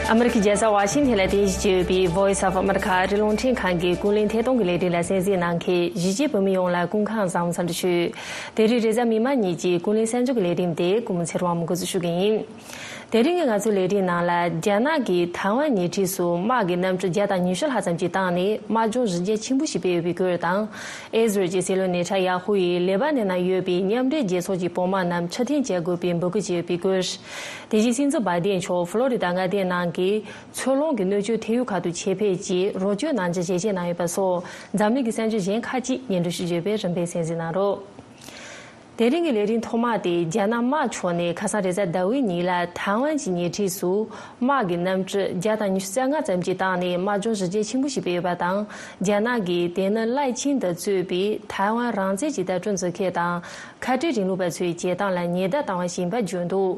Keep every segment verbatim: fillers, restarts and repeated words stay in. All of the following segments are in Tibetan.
ཨ་མེ་རི་ཁའི་རྒྱལ་ས་ཝ་ཤིང་ཐན་ལ་རྟེན་གཞི་བྱས་ཡོད་པའི་Voice of America ཨ་རིའི་རླུང་འཕྲིན་ཁང་གི་ཀུན་གླེང་ཐད་གཏོང་གི་ལས་རིམ་ལ་གསན་གཟིགས་གནང་མཁན་གཞིས་བྱེས་བོད་མི་ཡོངས་ལ་སྐུ་ཁམས་བཟང་པོ་འཚམས་འདྲི་ཞུ། དེ་རིང་རེས་གཟའ་མིག་དམར་ཉིན་གྱི་ཀུན་གླེང་གསར་འགྱུར་གྱི་ལས་རིམ་དེ་ཀུན་མོ་ཚེ་རིང་དབང་མོས་འགོ་འཛུགས་ཞུ་གི་ཡིན། དེ་རིང་གི་ང་ཚོའི་ལས་རིམ་ནང་ལ་རྒྱ་ནག་གིས་ཐའེ་ཝན་ཉེ་འཁྲིས་སུ་དམག་གི་གནམ་གྲུ་བརྒྱ་དང་ཉི་ཤུ་ལྷག་ཙམ་ཞིག་བཏང་ནས་དམག་སྦྱོང་གཞི་རྒྱ་ཆེན་པོ་ཞིག་སྤེལ་ཡོད་པའི་སྐོར་དང་། ཨི་ཟི་རལ་གྱི་སྲིད་བློན་ནེ་ཐན་ཡ་ཧུ་ཡིས་ལེ་པ་ནན་ནང་ཡོད་པའི་མཉམ་འབྲེལ་རྒྱལ་ཚོགས་ཀྱི་བོད་དམག་རྣམས་ཕྱིར་འཐེན་བྱེད་དགོས་པའི་འབོད་སྐུལ་བྱས་ཡོད་པའི་སྐོར། དེ་བཞིན་སྲིད་འཛིན་བའི་ཏན་མཆོག་ཕློ་རི་ད་མངའ་སྡེའི་ནང་གི་མཚོ་ལྷོང་གི་སྣོད་བཅུད་ཐེམ་ཡིག་ཁག་ཏུ་ཆེད་ཕེབས་ཀྱིས་རོགས་སྐྱོར་གནང་རྒྱུ་ཞལ་བཞེས་གནང་ཡོད་པ་སོགས་འཛམ་གླིང་གི་གསར་འགྱུར་གཞན་ཁག་ཅིག་སྙན་སྒྲོན་ཞུ་རྒྱུ་ཡོད་པས་རིམ་པས་གསན་གཟིགས་གནང་རོགས། དེ་རིང་གི་ལས་རིམ་ཐོག་མ་དེ་རྒྱ་ནག་དམག་ཕྱོགས་ནས་ཁ་སང་རེས་གཟའ་ཟླ་བའི་ཉིན་ལ་ཐའེ་ཝན་གྱི་ཉེ་འཁྲིས་སུ་དམག་གི་གནམ་གྲུ་བརྒྱ་དང་ཉི་ཤུ་རྩ་ལྔ་ཙམ་ཞིག་བཏང་ནས་དམག་སྦྱོང་གཞི་རྒྱ་ཆེན་པོ་ཞིག་སྤེལ་ཡོད་པ་དང་། རྒྱ་ནག་གིས་དེ་ནི་ལའེ་ཆིང་ཏེ་གཙོས་པའི་ཐའེ་ཝན་རང་བཙན་གྱི་ལྟ་གྲུབ་འཛིན་མཁན་དང་། ཁ་བྲལ་རིང་ལུགས་པ་ཚོའི་བྱེད་སྟངས་ལ་ཉེན་བརྡ་བཏང་བ་ཞིག་ཡིན་པ་བརྗོད་འདུག་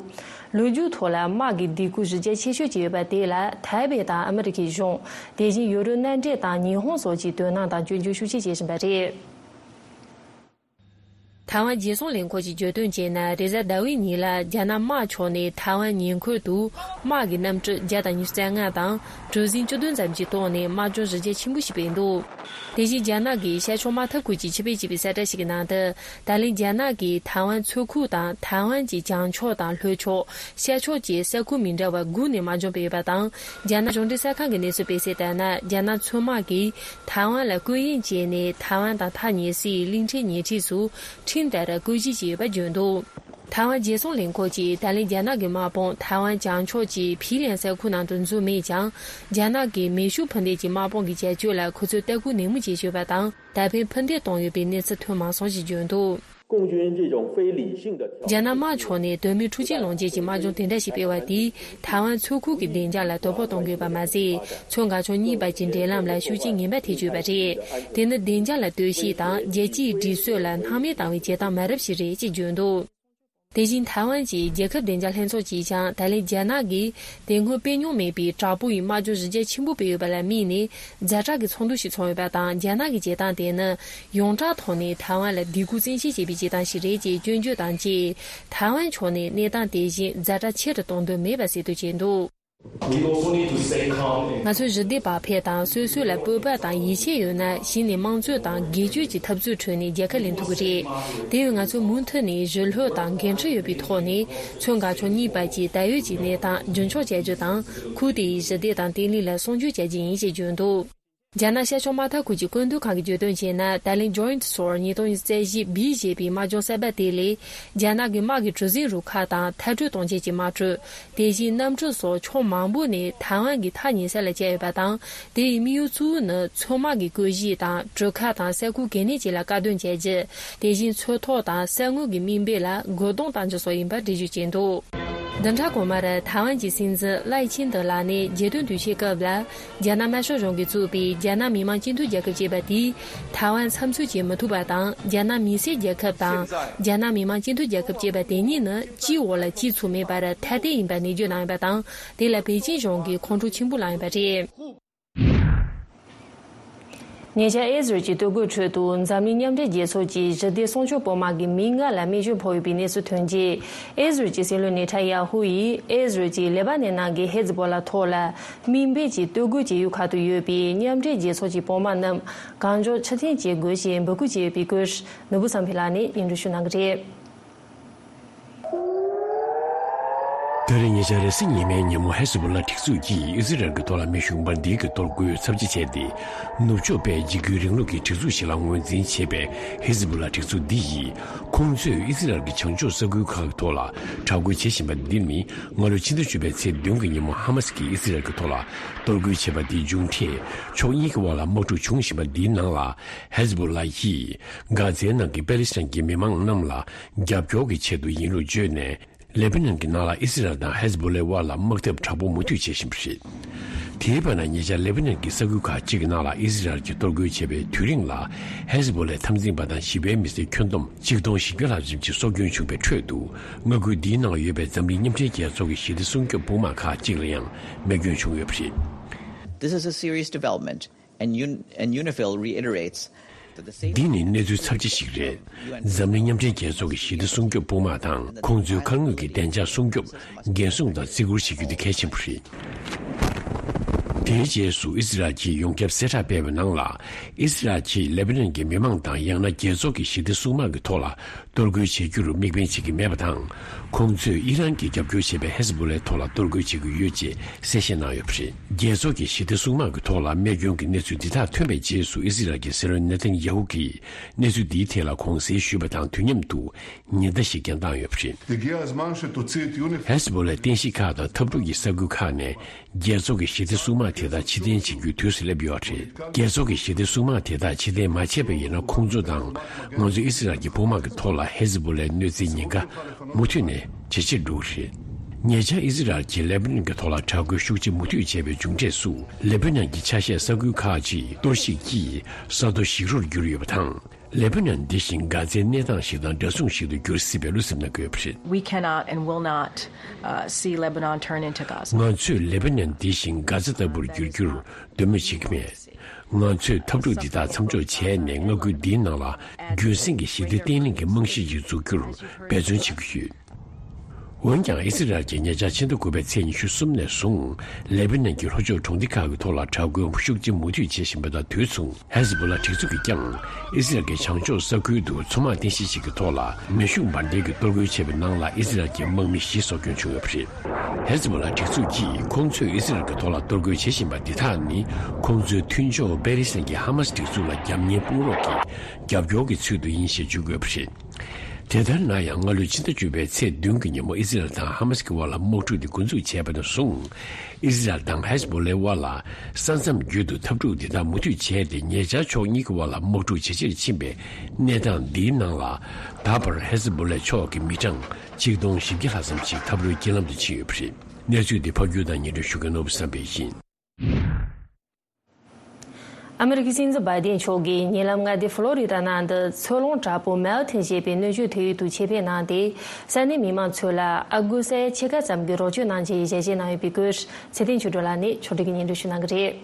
ལོ་རྒྱུས་ཐོག་ལ་དམག་གི་སྡིགས་སྐུལ་གཞི་རྒྱ་ཆེ་ཤོས་ཀྱི་ཡོད་པ་དེ་ལ་ཐའེ་པེ་དང་ཨ་མི་རི་ཀའི་གཞུང་། དེ་བཞིན་ཡུ་རོབ་མནའ་འབྲེལ་དང་ཉི་ཧོང་སོགས་ཀྱིས་དོ་སྣང་དང་སྐྱོན་བརྗོད་ཤུགས་ཆེ་བྱེད་བཞིན་པ་རེད། ཐའེ་ཝན་རྒྱལ་སྲུང་ལས་ཁུངས་ཀྱིས་བརྗོད་དོན་བྱས་ན། རེས་གཟའ་ཟླ་བའི་ཉིན་ལ་རྒྱ་ནག་དམག་ཕྱོགས་ནས་ཐའེ་ཝན་ཉེ་འཁོར་དུ་དམག་གི་གནམ་གྲུ་བརྒྱ་དང་ཉི་ཤུ་རྩ་ལྔ་དང་གྲུ་གཟིངས་བཅུ་བདུན་ཙམ་ཞིག་བཏང་ནས་དམག་སྦྱོང་གཞི་རྒྱ་ཆེན་པོ་ཞིག་སྤེལ་འདུག་དེ་བཞིན་རྒྱ་ནག་གི་ཤར་ཕྱོགས་དམག་འཐབ་ཁུལ་གྱི་ཕྱི་པེ་ཅིག་པའི་གསལ་བསྒྲགས་ཤིག་གི་ནང་དུ། ད་ལན་རྒྱ་ནག་གིས་ཐའེ་ཝན་མཚོ་ཁུག་དང་ཐའེ་ཝན་གྱི་བྱང་ཕྱོགས་དང་ལྷོ་ཕྱོགས། ཤར་ཕྱོགས་བཅས་ས་ཁུལ་མི་འདྲ་བ་དགུ་ནས་དམག་སྦྱོང་སྤེལ་ཡོད་པ་དང་། རྒྱ་ནག་གཞུང་འབྲེལ་གསར་ཁང་གི་གནས་ཚུལ་སྤེལ་གསལ་ལྟར་ན། རྒྱ་ནག་མཚོ་དམག་གིས་ཐའེ་ཝན་ལ་རྐུ་གཡེང་བྱས་ནས་ཐའེ་ཝན་དང་ཐག་ཉེ་སའི་གླིང་ཕྲན་ཉེ་འཁྲིས་སུ་ཁྲིམས་ལྟར་རྐུ་གཞིས་བྱས་ཡོད་པ་བརྗོད་འདུག་ཐའེ་ཝན་རྒྱལ་སྲུང་ལས་ཁུངས་ཀྱིས་ད་ལན་རྒྱ་ནག་གི་དམག་དཔུང་ཐའེ་ཝན་བྱང་ཕྱོགས་ཀྱི་ཕི་ལན་ས་ཁུལ་ནང་དུ་འཛུལ་མེད་ཀྱང་། རྒྱ་ནག་གི་མེ་ཤུགས་འཕུར་མདེལ་གྱི་དམག་དཔུང་གི་བྱ་སྤྱོད་ལ་ཁོ་ཚོས་ལྟ་སྐུལ་ནན་མོ་བྱེད་ཀྱི་ཡོད་པ་དང་། ད་ཕན་ཕུ་འདེད་གཏོང་ཡོད་པའི་གནས་ཚུལ་ཐོན་མ་སོང་ཞེས་བརྗོད་འདུག 共军这种非理性的挑衅 རྒྱ་ནག་དམག་ཕྱོགས་ནས་དོན་མེད་འཁྲུག་ཆེན་སློང་བྱེད་ཀྱི་དམག་སྦྱོང་དེ་འདྲ་ཞིག་སྤེལ་བ་དེས་ཐའེ་ཝན་མཚོ་ཁུག་གི་བདེ་འཇགས་ལ་དོ་ཕོག་གཏོང་དགོས་པ་མ་ཟད། མཚོ་འགག་ཕྱོགས་གཉིས་བར་གྱི་འབྲེལ་ལམ་ལ་ཤུགས་རྐྱེན་ངན་པ་ཐེབས་ཀྱི་ཡོད་པ་རེད། དེ་ནི་བདེ་འཇགས་ལ་ལྟོས་ཤིག་དང་རྒྱལ་སྤྱིའི་སྒྲིག་སྲོལ་ལ་སྣང་མེད་བཏང་བའི་བྱེད་སྟངས་མ་རབས་ཤིག་རེད་ཅེས་བརྗོད་འདུག་དེ་བཞིན་ཐའེ་ཝན་གྱི་རྒྱལ་ཁབ་བདེ་འཇགས་ལྷན་ཚོགས་ཀྱིས་ཀྱང་། ད་ལན་རྒྱ་ནག་གིས་དེ་སྔོན་སྤེལ་མྱོང་མེད་པའི་དྲག་པོ་ཡི་དམག་སྦྱོང་གཞི་རྒྱ་ཆེན་པོ་སྤེལ་ཡོད་པ་ལ་དམིགས་ནས་ཛ་དྲག་གི་ཚོགས་འདུ་ཞིག་འཚོགས་ཡོད་པ་དང་། རྒྱ་ནག་གི་བྱེད་སྟངས་དེ་ནི་ཡོངས་གྲགས་ཐོག་ནས་ཐའེ་ཝན་ལ་སྡིགས་སྐུལ་བཙན་ཤེད་བྱེད་པའི་བྱེད་སྟངས་ཤིག་རེད་ཅེས་སྐྱོན་བརྗོད་དང་བཅས། ཐའེ་ཝན་ཕྱོགས་ནས་གནས་སྟངས་དེ་བཞིན་ཛ་དྲག་ཆེ་རུ་གཏོང་འདོད་མེད་པ་གསལ་སྟོན་བྱས་འདུག We also need to stay calm and ང་ཚོས་ཞི་བདེ་བག་ཕེབས་དང་། སོ་སོ་ལ་སྤོབས་པ་དང་ཡིད་ཆེས་ཡོད་ན། གཞི་ནས་དམངས་གཙོ་དང་སྒེར་གཅོད་ཀྱི་འཐབ་རྩོད་ཁྲོད་ནས་རྒྱལ་ཁ་ལེན་ཐུབ་ཀྱི་རེད། དེ་བས་ང་ཚོས་མུ་མཐུད་ནས་ཞི་ལྷོད་དང་འགན་འཁྲི་ཡོད་པའི་ཐོག་ནས། མཚོ་འགག་ཕྱོགས་གཉིས་བར་གྱི་ད་ཡོད་ཀྱི་གནས་སྟངས་རྒྱུན་འཁྱོངས་བྱ་རྒྱུ་དང་། ཁུལ་དེའི་ཞི་བདེ་དང་བརྟན་ལྷིང་ལ་སྲུང་སྐྱོབ་བྱ་རྒྱུ་ཡིན་ཞེས་བརྗོད་འདུག་རྒྱ་ནག་ཤར་ཕྱོགས་དམག་འཐབ་ཁུལ་གྱི་བཀོད་འདོམས་ཁང་གིས་བརྗོད་དོན་བྱས་ན། ད་ལན་Joint Sword ཉིས་སྟོང་ཉི་ཤུ་རྩ་བཞི་B ཞེས་པའི་དམག་སྦྱོང་གསར་པ་དེ་ལས། རྒྱ་ནག་གི་དམག་གི་གྲུ་གཟིངས་རུ་ཁག་དང་མཐའ་སྐྲོད་གཏོང་བྱེད་ཀྱི་དམག་གྲུ། དེ་བཞིན་གནམ་གྲུ་སོགས་ཕྱོགས་མང་པོ་ནས་ཐའེ་ཝན་གྱི་ཐག་ཉེ་ས་ལ་བཅར་ཡོད་པ་དང་། དེ་ཡི་དམིགས་ཡུལ་གཙོ་བོ་ནི་མཚོ་དམག་གི་རྐུ་གཞིས་དང་གྲུ་ཁ་དང་ས་ཁུལ་གལ་གནད་ཅན་ལ་བཀག་སྡོམ་བྱ་རྒྱུ། དེ་བཞིན་མཚོ་ཐོག་དང་ས་ངོས་ཀྱི་མི་འབོར་ལ་རྒོལ་རྡུང་གཏང་རྒྱུ་སོགས་ཡིན་པར་འགྲེལ་བརྗོད་བྱས་འདུག་བདུན་ཕྲག་གོང་མར་ཐའེ་ཝན་གྱི་སྲིད་འཛིན་ལའེ་ཆིང་ཏེ་ལགས་ནས་རྒྱལ་དོན་དུས་ཆེན་སྐབས་ལ། རྒྱ་ནག་དམར་ཤོག་གཞུང་གིས་བཙུགས་པའི་རྒྱ་ནག་མི་དམངས་སྤྱི་མཐུན་རྒྱལ་ཁབ་ཅེས་པ་དེས་ཐའེ་ཝན་འཚམས་གསོལ་བྱེད་མི་ཐུབ་པ་དང་། རྒྱ་ནག་མི་སེར་རྒྱལ་ཁབ་དང་། རྒྱ་ནག་མི་དམངས་སྤྱི་མཐུན་རྒྱལ་ཁབ་ཅེས་པ་དེ་གཉིས་ནི་གཅིག་འོག་ལ་གཅིག་ཚུད་མེད་པར་ཐ་དད་ཡིན་པ་ནན་བརྗོད་གནང་ཡོད་པ་དང་། དེ་ལ་པེ་ཅིན་གཞུང་གིས་ཁོང་ཁྲོ་ཆེན་པོ་ལངས་ཡོད་པ་རེད། ཉེ་ཆར་ཨི་ཟི་རལ་གྱི་ལྟོ་གོས་ཁྲོད་དུ་འཛམ་གླིང་མཉམ་འབྲེལ་རྒྱལ་ཚོགས་ཀྱི་ཞི་བདེ་སྲུང་སྐྱོབ་པོད་དམག་གི་མི་ལྔ་ལ་རྨས་སྐྱོན་ཕོག་ཡོད་པའི་གནས་ཚུལ་ཐོན་རྗེས། ཨི་ཟི་རལ་གྱི་སྲིད་བློན་ནེ་ཐན་ཡ་ཧུ་ཡིས་ཨི་ཟི་རལ་གྱིས་ལེ་པ་ནན་ནང་གི་ཧེ་ཛི་བོ་ལ་ཐོག་ལ་དམིགས་འབེན་གྱིས་ལྟོ་གོས་བྱེད་ཡུལ་ཁག་ཏུ་ཡོད་པའི་མཉམ་འབྲེལ་རྒྱལ་ཚོགས་ཀྱི་བོད་དམག་རྣམས་གང་མགྱོགས་ཕྱིར་འཐེན་བྱེད་དགོས་ཞེས་འབོད་སྐུལ་བྱས་ཡོད་པའི་སྐོར་ནོར་བུ་བསམ་འཕེལ་ལགས་ནས་སྙན་སྒྲོན་ཞུ་གནང་གི་རེད། ད་རེས་ཉེ་ཆར་རེས་གཟའ་ཉི་མའི་ཉིན་མོ་ཧེ་ཛི་བོ་ལ་སྒྲིག་འཛུགས་ཀྱིས་ཨི་ཟི་རལ་གྱི་ཐོག་ལ་མེ་ཤུགས་འབར་མདེལ་གྱི་གཏོར་རྒོལ་ཚབས་ཆེ་བྱས་ཏེ། ནུབ་ཕྱོགས་པས་འཇིགས་སྐུལ་རིང་ལུགས་ཀྱི་སྒྲིག་འཛུགས་ཤིག་ལ་ངོས་འཛིན་བྱེད་པའི་ཧེ་ཛི་བོ་ལ་སྒྲིག་འཛུགས་འདི་ཡིས། ཁོང་ཚོས་ཨི་ཟི་རལ་གྱི་བྱང་ཕྱོགས་ས་ཁུལ་ཁག་གི་ཐོག་ལ་དྲག་རྒོལ་བྱེད་བཞིན་པ་འདི་ནི། སྔ་ལོ་ཕྱི་ཟླ་བཅུ་པའི་ཚེས་བདུན་གྱི་ཉིན་མོ་ཧ་མ་སི་ཀྱིས་ཨི་ཟི་རལ་གྱི་ཐོག་ལ་གཏོར་རྒོལ་བྱས་པ་དེའི་མཇུག་འབྲས། ཕྱོགས་གཉིས་ཀྱི་དབར་ལ་དམག་འཁྲུག་བྱུང་བཞིན་པ་འདིའི་ནང་ལ། ཧེ་ཛི་བོ་ལ་ཡིས་གྷ་ཛའི་ནང་གི་པེ་ལི་སི་ཐན་གྱི་མི་མང་རྣམས་ལ་རྒྱབ་སྐྱོར་གྱི་ཆེད་དུ་ཡིན་ལུགས་བརྗོད་ནས། ལེ་པ་ནན་གྱི་ནང་ལ་ཨི་སི་རལ་དང་ཧེ་ཛི་བོ་ལའི་དབར་ལ་དམག་འཐབ་དྲག་པོ་མུ་མཐུད་བྱེད་བཞིན་པ་རེད། དེའི་བར་ན་ཉེ་ཆར་ལེ་པ་ནན་གྱི་ས་ཁུལ་ཁག་ཅིག་གི་ནང་ལ་ཨི་སི་རལ་གྱིས་གཏོར་རྒོལ་བྱས་པའི་དུས་རིང་ལ། ཧེ་ཛི་བོ་ལའི་འཐབ་འཛིང་པ་དང་ཞི་བའི་མི་སེར་ཁྱོན་བསྡོམས་གཅིག་སྟོང་བཞི་བརྒྱ་ལྷག་ཙམ་གྱི་སྲོག་སྐྱོན་བྱུང་བའི་ཁྲོད་དུ། མངའ་ཁུལ་འདིའི་ནང་ཡོད་པའི་འཛམ་གླིང་མཉམ་འབྲེལ་རྒྱལ་ཚོགས་ཀྱི་ཞི་བདེ་སྲུང་སྐྱོབ་དཔུང་དམག་ཁག་ཅིག་ལ་ཡང་རྨས་སྐྱོན་བྱུང་ཡོད་པ་རེད། This is a serious development, and UN, and UNIFIL reiterates འདི་ནི་གནས་ཚུལ་ཚབས་ཆེ་ཞིག་རེད། འཛམ་གླིང་མཉམ་འབྲེལ་རྒྱལ་ཚོགས་ཀྱི་ཞི་བདེ་སྲུང་སྐྱོབ་དཔུང་དམག་དང་ཁོང་ཚོའི་མཁའ་དངོས་ཀྱི་བདེ་འཇགས་སྲུང་སྐྱོབ་འགན་སྲུང་དང་བརྩི་བཀུར་བྱེད་རྒྱུ་དེ་གལ་ཆེན་པོ་རེད། དེའི་རྗེས་སུ་ཨི་སི་རལ་གྱིས་ཡོངས་ཁྱབ་གསལ་བསྒྲགས་སྤེལ་བའི་ནང་ལ། ཨི་སི་རལ་གྱིས་ལེ་པ་ནན་གྱི་མི་མང་དང་ཡང་ན་རྒྱལ་ཚོགས་ཀྱི་ཞི་བདེ་སྲུང་དམག་གི་ཐོག་ལ་གཏོར་རྒོལ་བྱེད་རྒྱུར་དམིགས་འབེན་བྱེད་ཀྱི་མེད་པ་དང་། ཁོང་ཚོས་ཨི་རན་གྱིས་རྒྱབ་སྐྱོར་བྱེད་པའི་ཧེ་ཟི་བྷོ་ལའི་ཐོག་ལ་གཏོར་རྒོལ་བྱེད་ཀྱི་ཡོད་ཅེས་གསལ་བཤད་གནང་ཡོད་པ་རེད། རྒྱལ་ཚོགས་ཀྱི་ཞི་བདེ་སྲུང་དམག་གི་ཐོག་ལ་རྨས་སྐྱོན་གྱི་གནས་ཚུལ་འདི་དག་ཐོན་པའི་རྗེས་སུ། ཨི་སི་རལ་གྱི་སྲིད་བློན་ནེ་ཐན་ཡ་ཧུ་གྱིས་གནས་ཚུལ་འདིའི་ཐད་ལ་དགོངས་སེལ་ཞུས་པ་དང་དུས་མཉམ་དུ། ཉེན་བརྡ་ཞིག་ཀྱང་བཏང་ཡོད་པ་རེད། ཧེ་ཟི་བྷོ་ལའི་རྟེན་གཞི་ཁག་དང་འཐབ་འཁྲུག་གི་ས་ཁུལ་ཁག་ནས་རྒྱལ་ཚོགས་ཀྱི་ཞི་བདེ་སྲུང་དམག་དེ་དག་ཕྱིར་འཐེན་བྱེད་རྒྱུའི་དུས་སུ་སླེབས་ཡོད་རེད། རྒྱལ་ཚོགས་ཀྱི་ཞི་བདེ་སྲུང་དམག་དེ་དག་ཕྱིར་འཐེན་མ་བྱས་པ་ཡིན་ན། ཁོང་ཚོ་དང་ང་ཚོ་ཨི་སི་རལ་གྱི་དཔུང་དམག་གི་ཐོག་ལ་ཧེ་ཟི་བྷོ་ལའི་གནོད་འཚེའི་ཉེན་ཁ་མུ་མཐུད་ནས་ཇེ་ཆེར་འགྲོ་གི་རེད། ཉེ་ཆར་ཨི་སི་རལ་གྱིས་ལེ་པ་ནན་གྱི་ཐོག་ལ་དྲག་རྒོལ་ཤུགས་ཆེ་མུ་མཐུད་བྱས་པའི་མཇུག་འབྲས་སུ། ལེ་པ་ནན་གྱི་ཆ་ཤས་ས་ཁུལ་ཁག་ཅིག་གཏོར་བཤིག་གིས་ས་རྡོ་ཞིག་རོར་གྱུར་ཡོད་པ་དང་། ལེ་པ་ནན་འདི་བཞིན་གྷ་ཛའི་གནས་སྟངས་ཤིག་དང་འདྲ་མཚུངས་ཤིག་ཏུ་འགྱུར་སྲིད་པའི་བློ་འཚབ་གནང་གི་ཡོད་པ་རེད། We cannot and will not, uh, see Lebanon turn into Gaza. ང་ཚོས་ལེ་པ་ནན་འདི་བཞིན་གྷ་ཛ་ལྟ་བུར་འགྱུར་རྒྱུར་འདོད་མོས་བྱེད་ཀྱི་མེད། ང་ཚོས་འཐབ་འཁྲུག་འདི་དག་མཚམས་འཇོག་བྱས་ནས། མངའ་ཁུལ་འདིའི་ནང་ལ་རྒྱུན་སྲིང་གི་ཞི་བདེ་བརྟན་ལྷིང་གི་རྨང་གཞི་ཞིག་འཛུགས་རྒྱུར་འབད་བརྩོན་བྱེད་ཀྱི་ཡོད། འོན་ཀྱང་། ཨི་སི་རལ་གྱིས་ཉེ་ཆར་ཕྱི་ཟླ་དགུ་པའི་ཚེས་ཉི་ཤུ་གསུམ་ནས་བཟུང་། ལེ་པ་ནན་གྱི་ལྷོ་ཕྱོགས་གྲོང་སྡེ་ཁག་གི་ཐོག་ལ་དྲག་རྒོལ་ཤུགས་ཆེ་མུ་མཐུད་བྱེད་བཞིན་པ་དང་དུས་མཚུངས། ཧེ་ཟི་བྷོ་ལ་སྒྲིག་འཛུགས་ཀྱིས་ཀྱང་ཨི་སི་རལ་གྱི་བྱང་ཕྱོགས་ས་ཁུལ་དུ་མཚོ་དམག་རྟེན་གཞི་ཞིག་གི་ཐོག་ལ་མེ་ཤུགས་འབར་མདེལ་གྱི་གཏོར་རྒོལ་བྱས་པའི་ནང་ལ། ཨི་སི་རལ་གྱི་དམག་མི་བཞི་སྲོག་སྐྱོན་བྱུང་ཡོད་པ་རེད། ཧེ་ཟི་བྷོ་ལ་སྒྲིག་འཛུགས་ཀྱིས་ཁོང་ཚོས་ཨི་སི་རལ་གྱི་ཐོག་ལ་གཏོར་རྒོལ་བྱེད་བཞིན་པ་འདི་དག་ནི། ཁོང་ཚོའི་མཐུན་ཕྱོགས་པེ་ལི་སི་ཐན་གྱི་ཧ་མ་སི་སྒྲིག་འཛུགས་ལ་རྒྱབ་གཉེར་དཔུང་རོགས་ཀྱི་རྒྱབ་སྐྱོར་གྱི་ཚུལ་དུ་ཡིན་ཞེས་བརྗོད་ཀྱི་ཡོད་པ་རེད། དེ་ལྟར་ན་ཡང་། སྔ་ལོའི་ཕྱི་ཟླ་བཅུ་པའི་ཚེས་བདུན་གྱི་ཉིན་མོ། ཨི་སི་རལ་དང་ཧ་མ་སི་གི་དབར་ལ་དམག་འཁྲུག་དེ་འགོ་འཛུགས་བྱས་པ་ནས་བཟུང་། ཨི་སི་རལ་དང་ཧེ་ཟི་བྷོ་ལའི་དབར་ལ་ས་མཚམས་བརྒྱུད་དུ་འཐབ་འཁྲུག་དེ་དག་མུ་མཐུད་བྱས་ཏེ། ཉེ་ཆར་ཕྱོགས་གཉིས་ཀྱི་དབར་ལ་དམག་འཁྲུག་ཇེ་ཆེར་ཕྱིན་པའི་གནས་སྟངས་འདིའི་ནང་ལ། ད་བར་ཧེ་ཟི་བྷོ་ལའི་ཕྱོགས་ཀྱི་མི་གྲངས་ཆིག་སྟོང་བཞི་བརྒྱ་ལྷག་ཙམ་ཞིག་འཐབ་རོའི་རྐྱེན་ལམ་དུ་ཕྱིན་ཡོད་པ་རེད། གནས་ཚུལ་འདི་ཕབ་སྒྱུར་དང་སྙན་སྒྲོན་ཞུ་མཁན་ནོར་བུ་བསམ་འཕེལ་ཡིན། ཨ་མི་རི་ཀའི་སྲིད་འཛིན་བྷའི་ཏིན་མཆོག་གིས་ཉེ་ལམ་མངའ་སྡེ་ཕློ་རི་ཌ་ནང་དུ་ཚོས་ལོང་དྲག་པོ་མེལ་ཐོན་ཞེས་པའི་སྣོད་བཅུད་དེ་ཡུལ་དུ་ཆེད་ཕེབས་གནང་སྟེ། ས་གནས་མི་མང་ཚོ་ལ་ཨ་ཁུ་ས་ཡ་ཕྱེད་ཀ་ཙམ་གྱི་རོགས་སྐྱོར་གནང་ཆེད་ཞལ་བཞེས་གནང་ཡོད་པའི་སྐོར། ཚེ་བརྟན་ཆོས་སྒྲོན་ལགས་ནས་ཕྱོགས་སྒྲིག་གིས་སྙན་སྒྲོན་ཞུ་གནང་གི་རེད།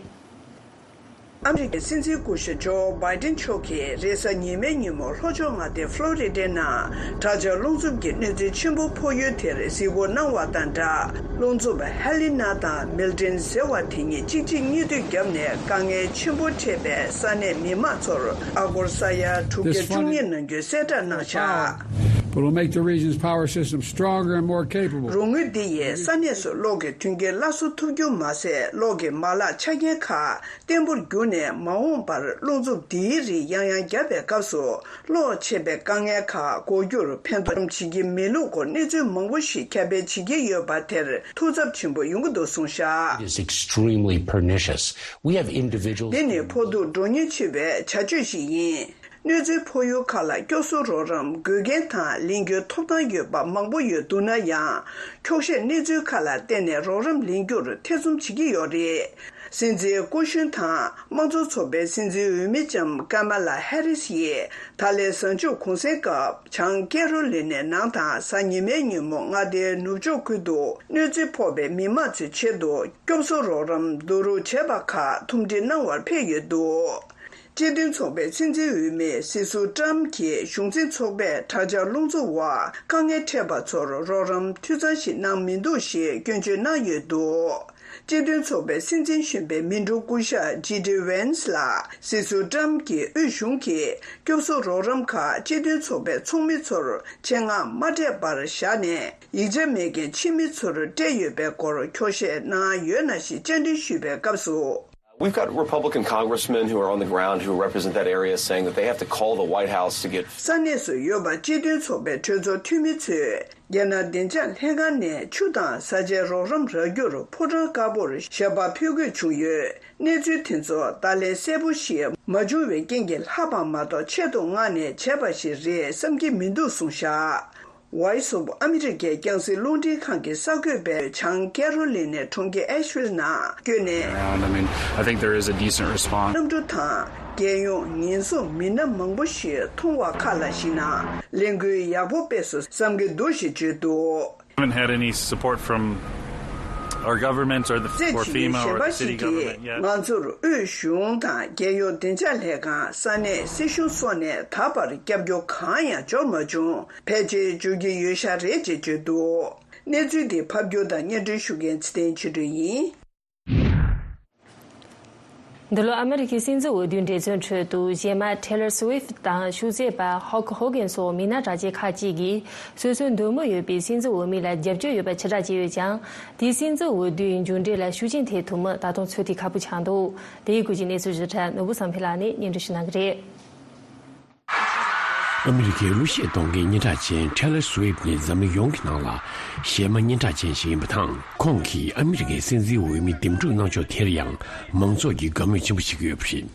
ཨ་མི་རི་ཀའི་སྲིད་འཛིན་སྐུ་ཞབས་ཇོ་བྷའི་ཏིན་མཆོག་གིས་རེས་གཟའ་ཉི་མའི་ཉིན་མོ་ལྷོ་ཕྱོགས་མངའ་སྡེ་ཕློ་རི་ཌའི་ནང་དྲག་ཆར་རླུང་འཚུབ་ཀྱི་གནོད་འཚེ་ཆེན་པོ་ཕོག་ཡུལ་དེར་གཟིགས་སྐོར་གནང་བ་དང་སྦྲགས། རླུང་འཚུབ་ཧེ་ལི་ན་དང་མིལ་ཏིན་ཟེར་བ་དེ་གཉིས་གཅིག་རྗེས་གཉིས་མཐུད་བརྒྱབ་ནས་དཀའ་ངལ་ཆེན་པོ་འཕྲད་པའི་ས་གནས་མི་མང་ཚོར་ཨ་སྒོར་ས་ཡ་དྲུག་བརྒྱ་བཅུ་གཉིས་གནང་རྒྱུའི་གསལ་བསྒྲགས་གནང་བཞག། But it'll make the region's power system stronger and more capable. རོགས་དངུལ་འདི་ཡིས་ས་གནས་སུ་གློག་གི་མཐུན་རྐྱེན་སླར་གསོ་ཐུབ་རྒྱུ་མ་ཟད། གློག་གི་མ་ལག་ཆ་རྐྱེན་ཁག་བརྟན་པོར་གྱུར་ནས། མ་འོངས་པར་རླུང་འཚུབ་འདིའི་རིགས་ཡང་ཡང་བརྒྱབ་པའི་སྐབས་སུ། གློག་ཆད་པའི་དཀའ་ངལ་ཁག་འགོག་རྒྱུར་ཕན་ཐོགས་བྱེད་ཀྱི་མེད་ལུགས་སྐོར་གནས་ཚུལ་མང་པོ་ཞིག་ཁྱབ་སྤེལ་བྱེད་ཀྱི་ཡོད་པ་དེར་ཐུགས་འཚབ་ཆེན་པོ་ཡོང་གི་འདུག་གསུངས་བཞག། Is extremely pernicious. We have individuals. འདི་ནི་ཕོག་ཐུག་འགྲོ་ཉེན་ཆེ་བའི་བྱ་སྤྱོད་ཞིག་ཡིན། གནོད་འཚེ་ཕོག་ཡུལ་ཁག་ལ་སྐྱོབ་གསོ་རོགས་རམ་དགོས་མཁན་དང་ལེན་རྒྱུའི་ཐོབ་ཐང་ཡོད་པ་མང་པོ་ཡོད་འདུག་ན་ཡང་། འཁྱོག་བཤད་གནས་ཚུལ་ཁག་ལ་བརྟེན་ནས་རོགས་རམ་ལེན་རྒྱུར་ཐེ་ཚོམ་བྱེད་ཀྱི་ཡོད་རེད། སྲིད་འཛིན་སྐུ་གཞོན་དང་དམངས་གཙོ་ཚོགས་པའི་སྲིད་འཛིན་འོས་མི་ལྕམ་ཀ་མ་ལ་ཧེ་རིས་ཡིས་ད་ལན་གཟའ་མཇུག་གུང་སེང་སྐབས་བྱང་ཀེ་རོ་ལི་ནའི་ནང་དང་གཟའ་ཉི་མའི་ཉིན་མོ་མངའ་སྡེའི་ནུབ་ཕྱོགས་ཁུལ་དུ་གནོད་འཚེ་ཕོག་པའི་མི་མང་ཚོའི་ཆེད་དུ་སྐྱོབ་གསོ་རོགས་རམ་བསྡུ་རུབ་བྱས་པ་ཁག་ཐུམ་སྒྲིལ་གནང་བར་ཕེབས་ཡོད་འདུག། སྤྱི་མཐུན་ཚོགས་པའི་སྲིད་འཛིན་འོས་མི་སྲིད་ཟུར་ཀྲམ་གྱིས་གཞུང་འཛིན་ཚོགས་པས་དྲག་ཆར་རླུང་འཚུབ་འོག་དཀའ་ངལ་འཕྲད་པ་ཚོར་རོགས་རམ་འཐུས་ཚང་ཞིག་གནང་མི་འདུག་ཞེས་སྐྱོན་བརྗོད་གནང་ཡོད་འདུག། སྤྱི་མཐུན་ཚོགས་པའི་སྲིད་འཛིན་གཞོན་པའི་མི་འགྲོ་སྐུ་ཞབས་ཇི་ཌི་ཝེན་སི་ལ་སྲིད་ཟུར་ཀྲམ་གྱིས་དབུས་གཞུང་གིས་སྐྱོབ་གསོ་རོགས་རམ་ཁག་སྤྱི་མཐུན་ཚོགས་པའི་ཚོགས་མི་ཚོར་ཆེད་མངགས་མ་སྤྲད་པར་བཞག་ནས། ཡིག་ཆ་མེད་མཁན་ཕྱི་མི་ཚོར་སྤྲད་ཡོད་པའི་སྐོར་འཁྱོག་བཤད་གནང་ཡོད་ན་ཞེས་བཅར་འདྲི་ཞུས་པའི་སྐབས་སུ། We've got Republican congressmen who are on the ground who represent that area saying that they have to call the White House to get. ས་གནས་སུ་ཡོད་པ་སྤྱི་མཐུན་ཚོགས་པའི་གྲོས་ཚོགས་འཐུས་མི་ཚོས་རྒྱ་ནག་བདེ་འཇགས་ལྷན་ཁང་ནས་ཆུ་དང་བཟའ་བཅའི་རོགས་རམ་རག་རྒྱུར་ཕོ་བྲང་དཀར་པོར་ཞལ་པར་ཕུལ་དགོས་བྱུང་ཡོད། གནས་ཚུལ་དེ་ཚོ་ད་ལན་གསལ་པོ་ཞིག་མ་བྱུང་བའི་རྐྱེན་གྱིས་ལྷག་པ་མ་གཏོགས་ཆེད་དུ་མངགས་ནས་བྱས་པ་ཞིག་རེད་བསམ་གྱི་མི་འདུག་གསུངས་བཞག། Voice of America་རྒྱང་སྲིང་རླུང་འཕྲིན་ཁང་གི་གསར་འགོད་པས་བྱང་ཀེ་རོ་ལི་ནའི་གྲོང་ཁྱེར་ཨེ་ཤ་ཝིལ་ནང་བསྐྱོད་ནས། Around. I mean, I think there is a decent response. གནམ་གྲུ་དང་རྒྱལ་ཡོངས་ཉེན་སྲུང་མི་སྣ་མང་པོ་ཞིག་མཐོང་བ་ཁག་ལ་གཞིགས་ན། ལས་འགུལ་ཡག་པོ་སྤེལ་སོང་བསམ་གྱི་འདུག་ཞེས་བརྗོད་འདུག། Haven't had any support from our government or the, རྩེད་or ཆེན་གྱི་FEMA ཞལ་or the པར་city ཞིག་གིས་government yet. ང་ཚོར་དབུས་གཞུང་དང་རྒྱལ་ཡོངས་བདེ་འཇགས་ལྷན་ཁང་། ས་གནས་སྲིད་གཞུང་སོགས་ནས་ད་བར་སྐྱབས་བཅོལ་གང་ཡང་འབྱོར་མ་བྱུང་། ཕལ་ཆེར་འབྱོར་གྱི་ཡོད་ཤག་རེད་ཅེས་བརྗོད་འདུག། གནས་ཚུལ་འདི་ཕབ་སྒྱུར་དང་སྙན་སྒྲོན་ཞུ་མཁན་ཚེ་བརྟན་ཆོས་སྒྲོན་ཡིན། འདི་ལོ་ཨ་མི་རི་ཀའི་སྲིད་འཛིན་འོས་བསྡུའི་འགྲན་བསྡུར་ཁྲོད་དུ་གཞས་མ་Taylor Swift་དང་ཤུགས་རྩེད་པ་Hulk Hogan་སོགས་མི་སྣ་གྲགས་ཅན་ཁག་ཅིག་གིས་སོ་སོའི་འདོད་མོས་ཡོད་པའི་སྲིད་འཛིན་འོས་མི་ལ་རྒྱབ་སྐྱོར་ཡོད་པ་ཕྱིར་བསྒྲགས་བྱས་ཡོད་ཀྱང་། དེས་སྲིད་འཛིན་འོས་བསྡུའི་མཇུག་འབྲས་ལ་ཤུགས་རྐྱེན་ཐེབས་ཐུབ་མིན་ད་དུང་ཚོད་ལྟ་ཁག་པོ་ཆགས་འདུག་དེའི་སྐོར་གྱི་གནས་ཚུལ་ཞིབ་ཕྲ་ནོར་བུ་བསམ་འཕེལ་ལགས་ནས་སྙན་སྒྲོན་ཞུ་གནང་གི་རེད། ཨ་མི་རི་ཀའི་གླུ་གཞས་གཏོང་མཁན་སྙན་གྲགས་ཅན་Taylor Swift་ནི་འཛམ་གླིང་ཡོངས་ཀྱི་ནང་ལ་གཞས་མ་སྙན་གྲགས་ཅན་ཞིག་ཡིན་པ་དང་། ཁོང་གིས་ཨ་མི་རི་ཀའི་སྲིད་འཛིན་འོས་མི་འདེམས་སྒྲུག་གནང་ཕྱོགས་དེར་ཡང་མང་ཚོགས་ཀྱིས་དགའ་མོས་ཆེན་པོ་བྱེད་ཀྱི་ཡོད་པ་རེད།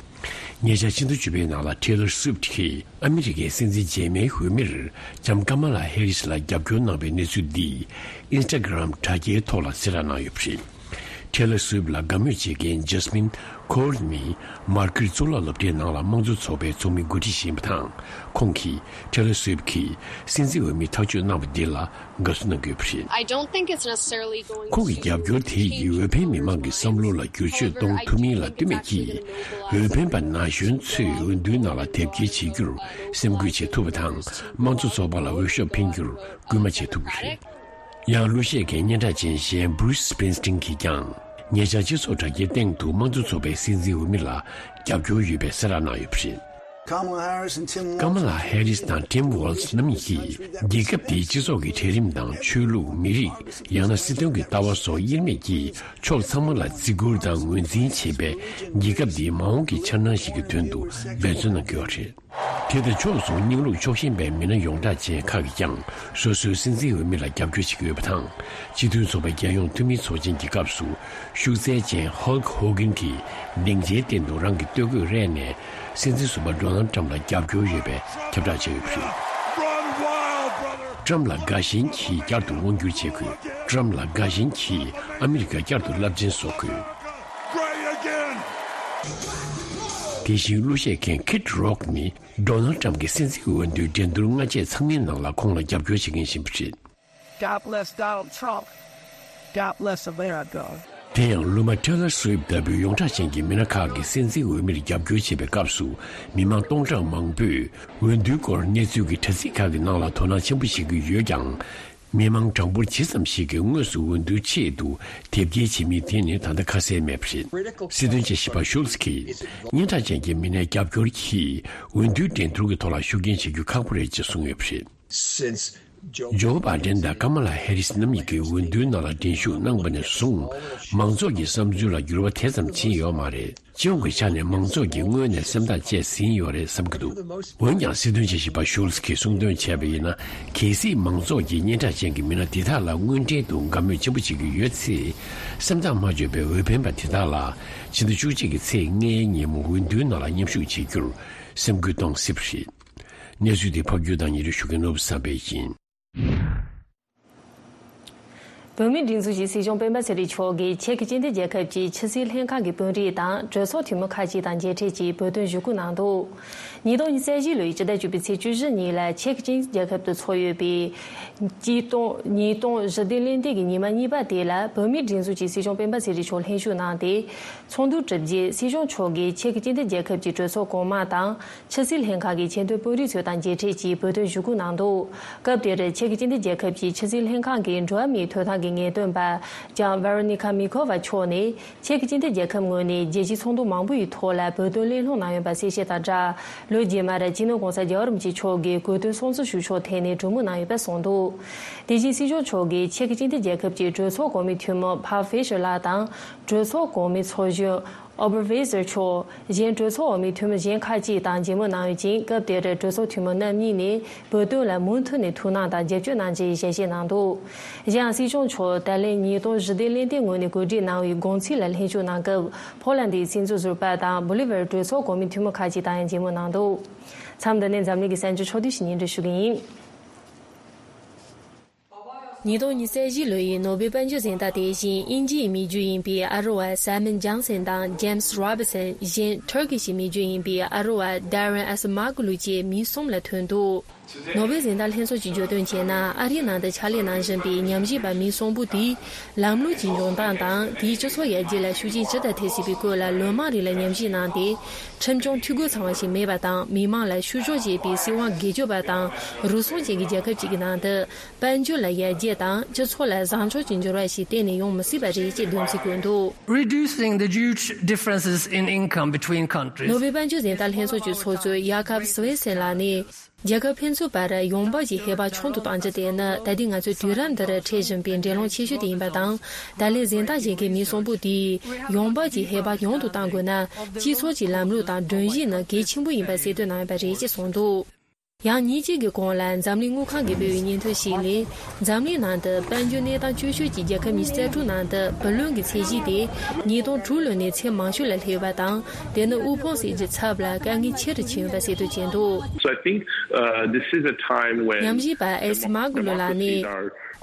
ཉེ་ཆར་ཕྱི་ཟླ་བཅུ་པའི་ནང་ལ་Taylor Swift་གིས་ཨ་མི་རི་ཀའི་སྲིད་འཛིན་རྗེས་མའི་འོས་མིར་ལྕམ་Kamala Harris་ལ་རྒྱབ་སྐྱོར་གནང་བའི་གནས་ཚུལ་འདིས་Instagram་དྲ་རྒྱའི་ཐོག་ལ་གསལ་བསྒྲགས་གནང་ཡོད་པ་རེད། Taylor Swift་ལ་དགའ་མོས་བྱེད་མཁན་Jasmine Core་ནི་མར་ཁེར་གཙུག་ལག་སློབ་གྲྭའི་ནང་ལ་དམངས་གཙོ་ཚོགས་པའི་ཚོགས་མི་འགོ་ཁྲིད་ཞིག་ཡིན་པ་དང་། ཁོང་གིས་Taylor Swift་གིས་སྲིད་འཛིན་འོས་མི་ཐག་གཅོད་གནང་བ་འདི་ལ་དགའ་བསུ་གནང་གི་ཡོད་པ་རེད། I don't think it's necessarily going to ཁོང་གི་རྒྱབ་སྐྱོར་དེ་ཡིས་འོས་འཕེན་མི་མང་གི་བསམ་བློ་ལ་བསྒྱུར་བཅོས་གཏོང་ཐུབ་མིན་ལ་ལྟོས་མེད་ཀྱིས། འོས་འཕེན་པ་ན་གཞོན་ཚོས་འོས་བསྡུའི་ནང་ལ་དེབ་སྐྱེལ་བྱེད་རྒྱུར་སེམས་ཁུར་བྱེད་ཐུབ་པ་དང་། དམངས་གཙོ་ཚོགས་པ་ལ་འོས་ཤོག་འཕེན་རྒྱུར་སྐུལ་མ་བྱེད་ཐུབ་ཀྱི་རེད། ཡང་གླུ་གཞས་ཀྱི་སྙན་གྲགས་ཅན་གཞན་Bruce Springsteen་གྱིས་ཀྱང་ཉེ་ཆར་སྤྱི་ཚོགས་དྲ་རྒྱའི་སྟེང་དུ་དམངས་གཙོ་ཚོགས་པའི་སྲིད་འཛིན་འོས་མི་ལ་རྒྱབ་སྐྱོར་ཡོད་པའི་གསལ་བསྒྲགས་གནང་ཡོད་པ་རེད། Kamala Harris and Tim Walz. Kamala Harris་དང་Tim Walz་རྣམ་གཉིས་ཀྱིས་རྒྱལ་ཁབ་དེའི་སྤྱི་ཚོགས་ཀྱི་གྲལ་རིམ་དང་ཆོས་ལུགས་མི་རིགས་ཡང་ན་སྲིད་དོན་གྱི་ལྟ་བ་སོགས་དབྱེར་མེད་ཀྱིས་ཕྱོགས་ཚང་མ་ལ་བརྩི་བཀུར་དང་ངོས་འཛིན་བྱེད་པའི་རྒྱལ་ཁབ་འདིའི་མ་འོངས་ཀྱི་འཆར་སྣང་ཞིག་གི་དོན་དུ་འབད་བརྩོན་གནང་གི་ཡོད་རེད། དེ་དང་ཕྱོགས་མཚུངས་རྙིང་ལུགས་ཕྱོགས་ཞེན་པའི་མི་སྣ་ཡོངས་གྲགས་ཅན་ཁག་གིས་ཀྱང་སོ་སོའི་སྲིད་འཛིན་འོས་མི་ལ་རྒྱབ་སྐྱོར་བྱེད་ཀྱི་ཡོད་པ་དང་། སྤྱི་མཐུན་ཚོགས་པའི་རྒྱལ་ཡོངས་འཐུས་མིའི་ཚོགས་ཆེན་གྱི་སྐབས་སུ་ཤུགས་རྩལ་ཅན་Hulk Hogan་གྱིས་སྡིངས་ཆའི་སྟེང་དུ་རང་གི་སྟོད་གོས་རལ་ནས་སྲིད་འཛིན་ཟུར་པ་Donald Trump་ལ་རྒྱབ་སྐྱོར་ཡོད་པའི་ཁྱབ་བསྒྲགས་བྱས་ཡོད་པ་རེད། Run wild, brother. Trump་ལ་དགའ་ཞེན་གྱིས་བསྐྱར་དུ་དབང་སྒྱུར་བྱེད་དགོས། Trump་ལ་དགའ་ཞེན་གྱིས་ཨ་མི་རི་ཀ་བསྐྱར་དུ་རླབས་ཆེན་བཟོ་དགོས། Great again. དེ་བཞིན་གླུ་གཞས་མཁན་Kid Rock་ནི་Donald Trump་གྱི་སྲིད་འཛིན་འོས་བསྡུའི་འགྲན་བསྡུར་སྔ་རྗེས་ཚང་མའི་ནང་ལ་ཁོང་ལ་རྒྱབ་སྐྱོར་བྱེད་མཁན་ཞིག་ཡིན་པ་རེད། God bless Donald Trump. God bless America. དེ་ཡང་གླུ་མ་Taylor Swift་ལྟ་བུའི་ཡོངས་གྲགས་ཅན་གྱི་མི་སྣ་ཁག་གིས་སྲིད་འཛིན་འོས་མིར་རྒྱབ་སྐྱོར་བྱེད་པའི་སྐབས་སུ་མི་མང་སྟོང་ཕྲག་མང་པོས་འོས་བསྡུའི་སྐོར་གནས་ཚུལ་གྱི་དྲ་ཚིགས་ཁག་གི་ནང་ལ་དོ་སྣང་ཆེན་པོ་བྱེད་ཀྱི་ཡོད་ཀྱང་། མི་མང་གྲངས་འབོར་ཇི་ཙམ་ཞིག་གིས་དངོས་སུ་འོས་བསྡུའི་ཆེད་དུ་དེབ་སྐྱེལ་བྱེད་མིན་དེ་ནི་ད་ལྟ་ཁ་གསལ་མེད་པ་རེད། སྲིད་དོན་དཔྱད་ཞིབ་པ་Schultz་གྱིས་སྙན་གྲགས་ཅན་གྱི་མི་སྣའི་རྒྱབ་སྐྱོར་གྱིས་འོས་བསྡུའི་འགྲན་བསྡུར་གྱི་ཐོག་ལ་ཤུགས་རྐྱེན་བྱེད་རྒྱུ་ཁག་པོ་རེད་ཅེས་གསུངས་ཡོད་པ་རེད། Since Joe Joe Biden་དང་Kamala Harris་རྣམ་གཉིས་ཀྱིས་འོས་བསྡུའི་ནང་ལ་འགྲན་ཞུགས་གནང་བ་ནས་བཟུང་མང་ཚོགས་ཀྱི་བསམ་ཚུལ་ལ་འགྱུར་བ་དེ་ཙམ་ཕྱིན་ཡོད་མ་རེད། སྤྱི་ཡོངས་ཀྱི་ཆ་ནས་མང་ཚོགས་ཀྱིས་སྔོན་ནས་སེམས་ཐག་བཅད་ཟིན་ཡོད་རེད་བསམ་གྱི་འདུག་འོན་ཀྱང་སྲིད་དོན་དཔྱད་ཞིབ་པ་Schultz་གྱིས་གསུངས་དོན་བྱས་པ་ཡིན་ན། གལ་སྲིད་མང་ཚོགས་ཀྱིས་སྙན་གྲགས་ཅན་གྱི་མི་སྣ་འདི་དག་ལ་དངོས་འབྲེལ་དུ་དགའ་མོས་ཆེན་པོ་བྱེད་ཀྱི་ཡོད་ཚེ། སེམས་ཐག་མ་ཆོད་པའི་འོས་འཕེན་པ་དེ་དག་ལ་ཕྱི་ཟླ་བཅུ་གཅིག་གི་ཚེས་ལྔའི་ཉིན་མོ་འོས་བསྡུའི་ནང་ལ་མཉམ་ཞུགས་བྱེད་རྒྱུར་སེམས་འགུལ་གཏོང་སྲིད་པ་རེད། གནས་ཚུལ་འདི་ཕབ་སྒྱུར་དང་སྙན་སྒྲོན་ཞུ་མཁན་ནོར་བུ་བསམ་འཕེལ་ཡིན། བོད་མིའི་སྒྲིག་འཛུགས་ཀྱི་སྲིད་སྐྱོང་སྤེན་པ་ཚེ་རིང་མཆོག་གིས་ཅེཀ་སྤྱི་མཐུན་རྒྱལ་ཁབ་ཀྱི་ཕྱི་སྲིད་ལྷན་ཁང་གི་དཔོན་རིགས་དང་གྲོས་ཚོགས་འཐུས་མི་ཁག་ཅིག་དང་མཇལ་འཕྲད་ཀྱིས་བོད་དོན་ཞུ་སྐུལ་གནང་འདུག་ཉིས་སྟོང་ཉི་ཤུ་རྩ་བཞི་ལོའི་ཕྱི་ཟླ་བཅུ་པའི་ཚེས་བཅུ་བཞི་ཉིན་ལ་ཅེཀ་སྤྱི་མཐུན་རྒྱལ་ཁབ་ཏུ་འཚོགས་ཡོད་པའི་ཉིས་སྟོང་ཉིས་སྟོང་ཞི་བདེ་གླེང་སྟེགས་ཀྱི་ཉི་མ་གཉིས་པ་དེ་ལ་བོད་མིའི་སྒྲིག་འཛུགས་ཀྱི་སྲིད་སྐྱོང་སྤེན་པ་ཚེ་རིང་མཆོག་ལྷན་ཞུགས་གནང་སྟེ། ཚོགས་འདུ་གྲུབ་རྗེས་སྲིད་སྐྱོང་མཆོག་གིས་ཅེཀ་སྤྱི་མཐུན་རྒྱལ་ཁབ་ཀྱི་གྲོས་ཚོགས་གོང་མ་དང་། ཕྱི་སྲིད་ལྷན་ཁང་གི་ཆེས་མཐོའི་དཔོན་རིགས་ཚོ་དང་མཇལ་འཕྲད་ཀྱིས་བོད་དོན་ཞུ་སྐུལ་གནང་འདུག་སྐབས་དེར་ཅེཀ་སྤྱི་མཐུན་རྒྱལ་ཁབ་ཀྱི་ཕྱི་སྲིད་ལྷན་ཁང་གི་འགྲོ་བ་མིའི་ཐོབ་ཐང་གི་ངེས་སྟོན་པ་ལྕམ་Veronika Mikova་མཆོག་ནས་ཅེཀ་སྤྱི་མཐུན་རྒྱལ་ཁབ་ངོས་ནས་རྒྱལ་སྤྱིའི་ཚོགས་འདུ་མང་པོ་ཡི་ཐོག་ལ་བོད་དོན་གླེང་སློང་གནང་ཡོད་པ་གསལ་བཤད་དང་སྦྲགས། ལོ་རྗེས་མར་སྤྱི་ནོར་༸གོང་ས་༸རྒྱལ་བ་རིན་པོ་ཆེ་མཆོག་གིས་གོ་སྟོན་སྲུང་བརྩི་ཞུ་ཕྱོགས་ཐད་ནས་གྲོས་མོལ་གནང་ཡོད་པ་གསུངས་འདུག་དེ་བཞིན་སྲིད་སྐྱོང་མཆོག་གིས་ཅེཀ་སྤྱི་མཐུན་རྒྱལ་ཁབ་ཀྱི་གྲོས་ཚོགས་གོང་མའི་འཐུས་མི་Pavel Fischer་ལགས་དང་། གྲོས་ཚོགས་གོང་མའི་ཚོགས་གཞོན་Ober Weser་མཆོག་གཞན་གྲོས་ཚོགས་འོག་མའི་འཐུས་མི་གཞན་ཁག་ཅིག་དང་མཇལ་མོལ་གནང་ཡོད་ཅིང་། སྐབས་དེར་གྲོས་ཚོགས་འཐུས་མི་རྣམ་གཉིས་ནས་བོད་དོན་ལ་མུ་མཐུད་ནས་ཐུགས་སྣང་དང་རྒྱབ་སྐྱོར་གནང་རྒྱུའི་ཞལ་བཞེས་གནང་འདུག་གཞན་ཡང་སྲིད་སྐྱོང་མཆོག་ད་ལན་ཉིས་སྟོང་ཞི་བདེ་གླེང་སྟེགས་ངོས་ནས་གོ་སྒྲིག་གནང་བའི་དགོང་ཚིགས་ལ་ལྷན་ཞུགས་གནང་སྐབས། ཕོ་ལན་ཌིའི་སྲིད་འཛིན་ཟུར་པ་དང་བོ་ལི་ཝར་གྲོས་ཚོགས་གོང་མའི་འཐུས་མི་ཁག་ཅིག་དང་ཡང་མཇལ་མོལ་གནང་འདུག་མཚམས་འདི་ནས་འཛམ་གླིང་གི་གསར་འགྱུར་ཕྱོགས་བསྡུས་ཤིག་སྙན་སྒྲོན་ཞུ་གི་ཡིན། ཉིས་སྟོང་ཉི་ཤུ་རྩ་བཞི་ལོའི་ནོ་བེལ་དཔལ་འབྱོར་གཟེངས་རྟགས་དེ་བཞིན་དབྱིན་ཇིའི་མི་རྒྱུད་ཡིན་པའི་ཨ་རོ་ཨ་Simon Johnson་དང་James Robinson། གཞན་Turkish་མི་རྒྱུད་ཡིན་པའི་ཨ་རོ་ཨ་Darren Acemoglu་བཅས་མི་གསུམ་ལ་ཐོན་འདུག་ནོ་བེལ་གཟེངས་རྟགས་ལྷན་ཚོགས་ཀྱིས་བརྗོད་དོན་བྱས་ན། ཨ་རིའི་ནང་དུ་ཕྱག་ལས་གནང་བཞིན་པའི་ཉམས་ཞིབ་པ་མི་གསུམ་པོ་དེས་ལམ་ལུགས་ཀྱི་འབྱུང་སྟངས་དང་། དེའི་སྤྱི་ཚོགས་ཡར་རྒྱས་ལ་ཤུགས་རྐྱེན་ཇི་ལྟར་ཐེབས་སྲིད་པའི་སྐོར་ལ། ལོ་མང་རིང་ལ་ཉམས་ཞིབ་གནང་སྟེ། ཁྲིམས་སྐྱོང་འཐུས་སྒོ་ཚང་བ་ཞིག་མེད་པ་དང་། མི་མང་ལ་བཤུ་གཞོག་བྱེད་པའི་སྲིད་དབང་སྒེར་གཅོད་པ་དང་། རུལ་སུངས་ཅན་གྱི་རྒྱལ་ཁབ་ཅིག་གི་ནང་དུ། དཔལ་འབྱོར་ལ་ཡར་རྒྱས་དང་། སྤྱི་ཚོགས་ལ་བཟང་ཕྱོགས་ཀྱི་འགྱུར་བ་ཞིག་གཏན་ནས་ཡོང་མི་སྲིད་པ་རེད་ཅེས་འདོན་ཚུལ་བཀོད་འདུག། Reducing the huge differences in income between countries. ནོ་བེལ་དཔལ་འབྱོར་གཟེངས་རྟགས་ལྷན་ཚོགས་ཀྱི་ཚོགས་གཙོ་ཡ་ཁབ་སི་ཝེ་སན་ལགས་ནས། རྒྱལ་ཁབ་ཕན་ཚུན་བར་ཡོང་འབབ་ཀྱི་ཧེ་བག་ཆུང་དུ་གཏང་རྒྱུ་དེ་ནི། ད་ལྟའི་ང་ཚོའི་དུས་རབས་འདིར་འཕྲད་བཞིན་པའི་འགྲན་སློང་ཆེ་ཤོས་དེ་ཡིན་པ་དང་། ད་ལན་གཟེངས་རྟགས་བཞེས་མཁན་མི་གསུམ་པོ་དེས་ཡོང་འབབ་ཀྱི་ཧེ་བག་ཉུང་དུ་གཏང་དགོས་ན། སྤྱི་ཚོགས་ཀྱི་ལམ་ལུགས་དང་སྒྲོམ་གཞི་ནི་གལ་ཆེན་པོ་ཡིན་པ་གསལ་སྟོན་གནང་ཡོད་པ་རེད་ཅེས་གསུངས་འདུག། ཡང་ཉིན་གཅིག་གི་གོང་ལ་འཛམ་གླིང་དངུལ་ཁང་གིས་སྤེལ་བའི་སྙན་ཐོ་ཞིག་ལས། འཛམ་གླིང་ནང་དུ་དཔལ་འབྱོར་གནས་སྟངས་སྐྱོ་ཤོས་ཀྱི་རྒྱལ་ཁབ་ཉི་ཤུ་རྩ་དྲུག་ནང་དུ་བུ་ལོན་གྱི་ཚད་གཞི་དེ་ཉིས་སྟོང་དྲུག་ལོ་ནས་ཚད་མང་ཤོས་ལ་སླེབས་ཡོད་པ་དང་། དེ་ནི་དབུལ་ཕོངས་ཟེར་རྒྱུའི་ཚབ་ལ་དཀའ་ངལ་ཆེ་རུ་ཕྱིན་ཡོད་པ་གསལ་སྟོན་བྱས་འདུག། So I think, uh, this is a time when ཉམས་ཞིབ་པ་ཨེ་སི་མ་གུ་ལོ་ལགས་ནས།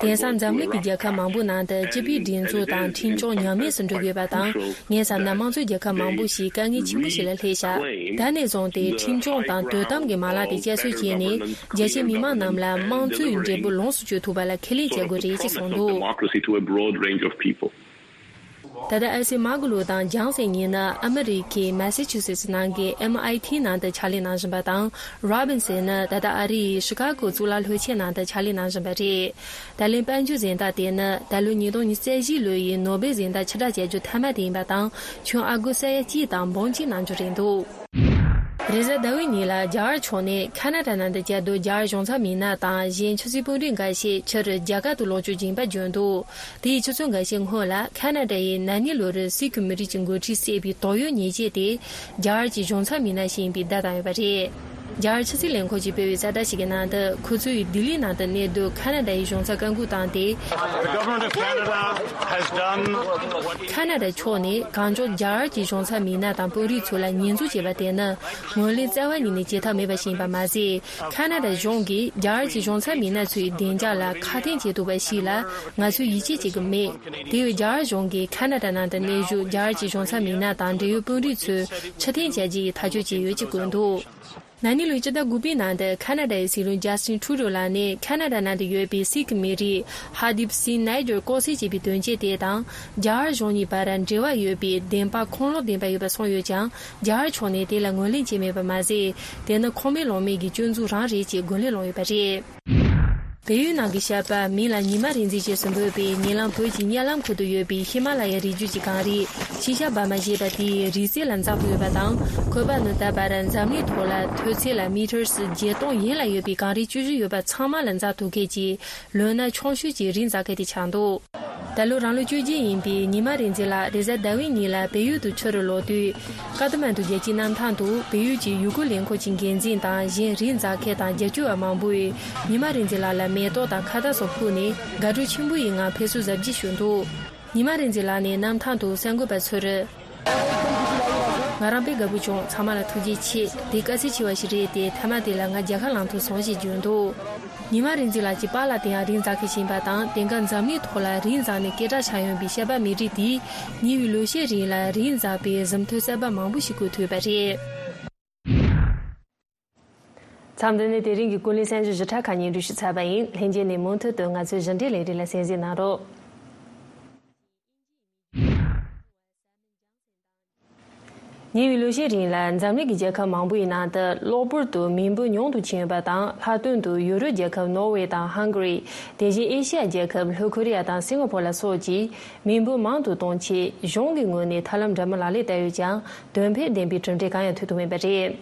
དེང་སང་འཛམ་གླིང་གི་རྒྱལ་ཁབ་མང་པོའི་ནང་དུ་སྤྱི་པའི་སྒྲིག་འཛུགས་དང་ཁྲིམས་སྐྱོང་ཉམས་དམས་སུ་འགྲོ་དགོས་པ་དང་། ངས་བསམ་ན་དམངས་གཙོའི་རྒྱལ་ཁབ་མང་པོ་ཞིག་དཀའ་ངལ་ཆེན་པོ་ཞིག་ལ་སླེབས་ཤག། ད་ནས་བཟུང་སྟེ་ཁྲིམས་སྐྱོང་དང་དོ་དམ་གྱི་མ་ལག་དེ་བསྐྱར་གསོ་བྱས་ནས། རྒྱ་ཆེའི་མི་མང་རྣམས་ལ་དམངས་གཙོའི་འབྲས་བུ་ལོངས་སུ་སྤྱོད་ཐུབ་པ་ལ་ཁས་ལེན་བྱེད་དགོས་རེད་ཅེས་གསུངས་འདུག། Democracy to a broad range of people. ད་ལྟ་ཨེ་སི་མ་གུ་ལོ་དང་ཇང་ཟེ་གཉིས་ནི་ཨ་མི་རི་ཀའི་མ་སེ་ཆུ་སེ་སི་ནང་གི་ཨེམ་ཨའི་ཐི་ནང་དུ་ཕྱག་ལས་གནང་བཞིན་པ་དང་། རོ་བིན་སན་ནི་ད་ལྟ་ཨ་རིའི་ཤི་ཀ་གོ་གཙུག་ལག་སློབ་ཆེན་ནང་དུ་ཕྱག་ལས་གནང་བཞིན་པ་རེད། ད་ལན་དཔལ་འབྱོར་གཟེངས་རྟགས་དེ་ནི་ད་ལོ་ཉིས་སྟོང་ཉི་ཤུ་རྩ་བཞི་ལོ་ཡི་ནོ་བེལ་གཟེངས་རྟགས་ཕྱིར་བསྒྲགས་བྱ་རྒྱུ་མཐའ་མ་དེ་ཡིན་པ་དང་། ཁྱོན་ཨ་སྒོར་ས་ཡ་གཅིག་དང་འབུམ་གཅིག་གནང་རྒྱུ་རེད་འདུག། རེས་གཟའ་ཟླ་བའི་ཉིན་ལ་རྒྱ་གར་ཕྱོགས་ནས་ཁ་ན་ཌ་ནང་དུ་བཅའ་སྡོད་རྒྱ་གར་གཞུང་ཚབ་མི་སྣ་དང་གཞན་ཕྱི་སྲིད་དཔོན་རིགས་འགའ་ཤས་ཕྱིར་རྒྱ་གར་དུ་ལོག་སྐྱོད་ཀྱིན་པ་བརྗོད་འདུག། དེའི་ཆུ་ཚོད་འགའ་ཤས་སྔོན་ལ་ཁ་ན་ཌ་ཡི་ན་ནིང་ལོ་རུ་སིག་མི་རིགས་ཀྱི་འགོ་ཁྲིད་བསད་པའི་དོགས་ཡོད་ཉེས་ཆད་དེ་རྒྱ་གར་གྱི་གཞུང་ཚབ་མི་སྣ་ཞིག་ཡིན་པས་བརྡ་བཏང་ཡོད་པ་རེད། རྒྱ་གར་ཕྱི་སྲིད་ལས་ཁུངས་ཀྱིས་སྤེལ་བའི་གསལ་བསྒྲགས་ཤིག་གི་ནང་དུ། ཁོ་ཚོས་ལྡི་ལི་ནང་དུ་གནས་སྡོད་ཁ་ན་ཌ་ཡི་གཞུང་ཚབ་བཀའ་འགུག་བཏང་སྟེ། The government of Canada has done what ཁ་ན་ཌ་ཕྱོགས་ནས་གང་མགྱོགས་རྒྱ་གར་གྱི་གཞུང་ཚབ་མི་སྣ་དང་དཔོན་རིགས་ཚོ་ལ་ཉེས་འཛུགས་བྱས་པ་དེ་ནི་ངོས་ལེན་རྩ་བ་ཉིད་ནས་བྱེད་ཐབས་མེད་པ་ཞིག་ཡིན་པ་མ་ཟད། ཁ་ན་ཌ་གཞུང་གིས་རྒྱ་གར་གྱི་གཞུང་ཚབ་མི་སྣ་ཚོའི་བདེ་འཇགས་ལ་ཁག་ཐེག་བྱེད་ཐུབ་པ་ཞིག་ལ་ང་ཚོས་ཡིད་ཆེས་བྱེད་ཀྱི་མེད། དེ་བས་རྒྱ་གར་གཞུང་གིས་ཁ་ན་ཌ་ནང་དུ་གནས་བཞུགས་རྒྱ་གར་གྱི་གཞུང་ཚབ་མི་སྣ་དང་འབྲེལ་ཡོད་དཔོན་རིགས་ཚོས་ཕྱིར་འཐེན་བྱ་རྒྱུ་ཡི་ཐག་གཅོད་བྱས་ཡོད་ཅེས་བཀོད་འདུག། ན་ནིང་ལོའི་སྤྱི་ཟླ་དགུ་པའི་ནང་དུ་ཁ་ན་ཌ་ཡི་སྲིད་བློན་ཇ་སི་ཊིན་ཁྲུ་ཌོ་ལགས་ནས་ཁ་ན་ཌ་ནང་དུ་ཡོད་པའི་སིག་མི་རིགས་ཧར་དིབ་སིང་ནཱ་ཡར་ལྐོག་བསད་བྱས་པའི་དོན་རྐྱེན་དེ་དང་། རྒྱ་གར་གཞུང་གཉིས་བར་འབྲེལ་བ་ཡོད་པའི་བདེན་པ་ཁུངས་ལུང་ལྡན་པ་ཡོད་པ་གསུངས་ཡོད་ཀྱང་། རྒྱ་གར་ཕྱོགས་ནས་དེ་ལ་ངོས་ལེན་བྱས་མེད་པ་མ་ཟད། དེ་ནི་ཁུངས་མེད་ལུང་མེད་ཀྱི་སྐྱོན་འཛུགས་རང་རེད་ཅེས་རྒོལ་ལན་སློང་ཡོད་པ་རེད། བལ་ཡུལ་ནང་གི་ཤར་པ་མིང་ལ་ཉི་མ་རིག་འཛིན་ཅེས་སུ་འབོད་པའི་ཉེ་ལམ་བོད་ཀྱི་གཉའ་ལམ་ཁུལ་དུ་ཡོད་པའི་ཧི་མ་ལ་ཡའི་རི་རྒྱུད་ཀྱི་གངས་རི་ཤིན་ཤ་བྷ་མ་ཞེས་པ་དེའི་རི་རྩེ་ལ་འཛེག་ཐུབ་ཡོད་པ་དང་། ཁོས་པ་ནི་ད་བར་འཛམ་གླིང་ཐོག་ལ་མཐོ་ཚད་ལ་མི་ཊར་བརྒྱད་སྟོང་ཡན་ལ་ཡོད་པའི་གངས་རི་བཅུ་བཞི་ཡོད་པ་ཚང་མ་ལ་འཛེག་ཐུབ་མཁན་གྱི་ལོ་ན་ཆུང་ཤོས་ཀྱི་རི་འཛེག་མཁན་དེ་ཆགས་འདུག། ད་ལོ་རང་ལོ་བཅོ་བརྒྱད་ཡིན་པའི་ཉི་མ་རིག་འཛིན་ལགས་རེས་གཟའ་ཟླ་བའི་ཉིན་ལ་བལ་ཡུལ་དུ་ཕྱིར་ལོག་དུས། ཀ་ཐ་མན་ཌུ་རྒྱལ་སྤྱིའི་གནམ་ཐང་དུ་བལ་ཡུལ་གྱི་ཡུལ་སྐོར་ལས་ཁུངས་ཀྱི་འགན་འཛིན་དང་གཞན་རི་འཛེག་མཁན་དང་རྒྱབ་སྐྱོར་བ་མང་པོས་ཉི་མ་རིག་འཛིན་ལགས་ལ་མེ་ཏོག་དང་ཁ་བཏགས་སོགས་ཕུལ་ནས་དགའ་སྤྲོ་ཆེན་པོ་ཡི་ངང་ཕེབས་བསུ་གཟབ་རྒྱས་ཞུས་འདུག། ཉི་མ་རིག་འཛིན་ལགས་ནས་གནམ་ཐང་དུ་གསར་འགོད་པ་ཚོར། ང་རང་དཔེ་དགའ་པོ་བྱུང་། ཚང་མ་ལ་ཐུགས་རྗེ་ཆེ། འདི་དཀའ་ཚེགས་ཆེ་བ་ཞིག་རེད་དེ། མཐའ་མ་དེ་ལ་ང་རྒྱལ་ཁ་བླངས་ཐུབ་སོང་ཞེས་བརྗོད་འདུག། ཉི་མ་རིག་འཛིན་ལགས་ཀྱི་པཱ་ལགས་དེ་ཡང་རི་འཛེག་མཁན་ཞིག་ཡིན་པ་དང་། དེང་སྐབས་འཛམ་གླིང་ཐོག་ལ་རི་འཛེག་ནས་སྐད་གྲགས་ཆགས་ཡོད་པའི་ཤར་པ་མི་རིགས་དེས་ཉེ་བའི་ལོ་ཤས་རིང་ལ་རི་འཛེག་པའི་གཟིམ་ཐོན་གསར་པ་མང་པོ་ཞིག་བཀོད་ཐུབ་ཡོད་པ་རེད། མཚམས་འདི་ནས་དེ་རིང་གི་ཀུན་གླེང་གསར་འགྱུར་ཞིབ་ཕྲ་ཁག་སྙན་སྒྲོན་ཞུས་ཚར་བ་ཡིན། ལྷན་རྒྱས་ནས་མུ་མཐུད་དུ་ང་ཚོའི་གཞི་འབྲེལ་ལས་རིགས་ལ་གསན་གཟིགས་གནང་རོགས། ཉེ་བའི་ལོ་ཤས་རིང་ལ་འཛམ་གླིང་གི་རྒྱལ་ཁབ་མང་པོའི་ནང་དུ་གློ་བུར་དུ་མི་འབོར་ཉུང་དུ་ཕྱིན་ཡོད་པ་དང་། ལྷག་དོན་དུ་ཡུ་རོབ་རྒྱལ་ཁབ་ནོར་ཝེ་དང་ཧང་ག་རི། དེ་བཞིན་ཨེ་ཤི་ཡ་རྒྱལ་ཁབ་ལྷོ་ཁོ་རི་ཡ་དང་སིང་ག་ཕོར་ལ་སོགས་ཀྱིས་མི་འབོར་མང་དུ་གཏོང་ཆེད་གཞུང་གི་ངོས་ནས་ཐབས་ལམ་འདྲ་མིན་ལག་ལེན་བསྟར་ཡོད་ཀྱང་དོན་ཕན་ལྡན་པའི་གྲུབ་འབྲས་གང་ཡང་ཐོན་ཐུབ་མེད་པ་རེད།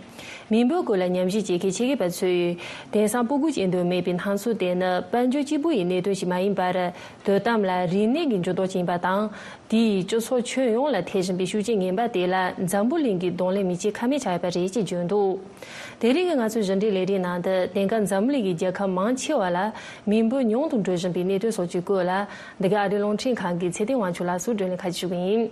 མི་འབོར་སྐོར་ལ་ཉམས་ཞིབ་བྱེད་མཁན་ཆེད་མཁས་པ་ཚོས་དེང་སང་སྤུ་གུ་སྐྱེ་འདོད་མེད་པའི་སྣང་ཚུལ་དེ་ནི་དཔལ་འབྱོར་གཅིག་པུ་ཡི་གནད་དོན་ཞིག་མ་ཡིན་པར། དོ་དམ་ལ་རིག་གནས་ཀྱི་འགྱུར་ལྡོག་ཅིག་ཡིན་པ་དང་། དེས་སྤྱི་ཚོགས་ཁྱོན་ཡོངས་ལ་ཐེབས་བཞིན་པའི་ཤུགས་རྐྱེན་ངན་པ་དེ་ལ་འཛམ་བུ་གླིང་གིས་གདོང་ལེན་མི་བྱེད་ཁ་མེད་ཆགས་ཡོད་པ་རེད་ཅེས་བརྗོད་འདུག། དེ་རིང་གི་ང་ཚོའི་གཞི་འབྲེལ་ལས་རིམ་ནང་དུ་དེང་སྐབས་འཛམ་བུ་གླིང་གི་རྒྱལ་ཁབ་མང་ཆེ་བ་ལ་མི་འབོར་ཉུང་དུ་འགྲོ་བཞིན་པའི་གནད་དོན་སོགས་ཀྱི་སྐོར་ལ། འདི་ག་ཨ་རིའི་རླུང་འཕྲིན་ཁང་གི་ཚེ་བརྟན་དབང་ཕྱུག་ལགས་སུ་བགྲོ་གླེང་ཁ་ཤས་ཞུ་གི་ཡིན།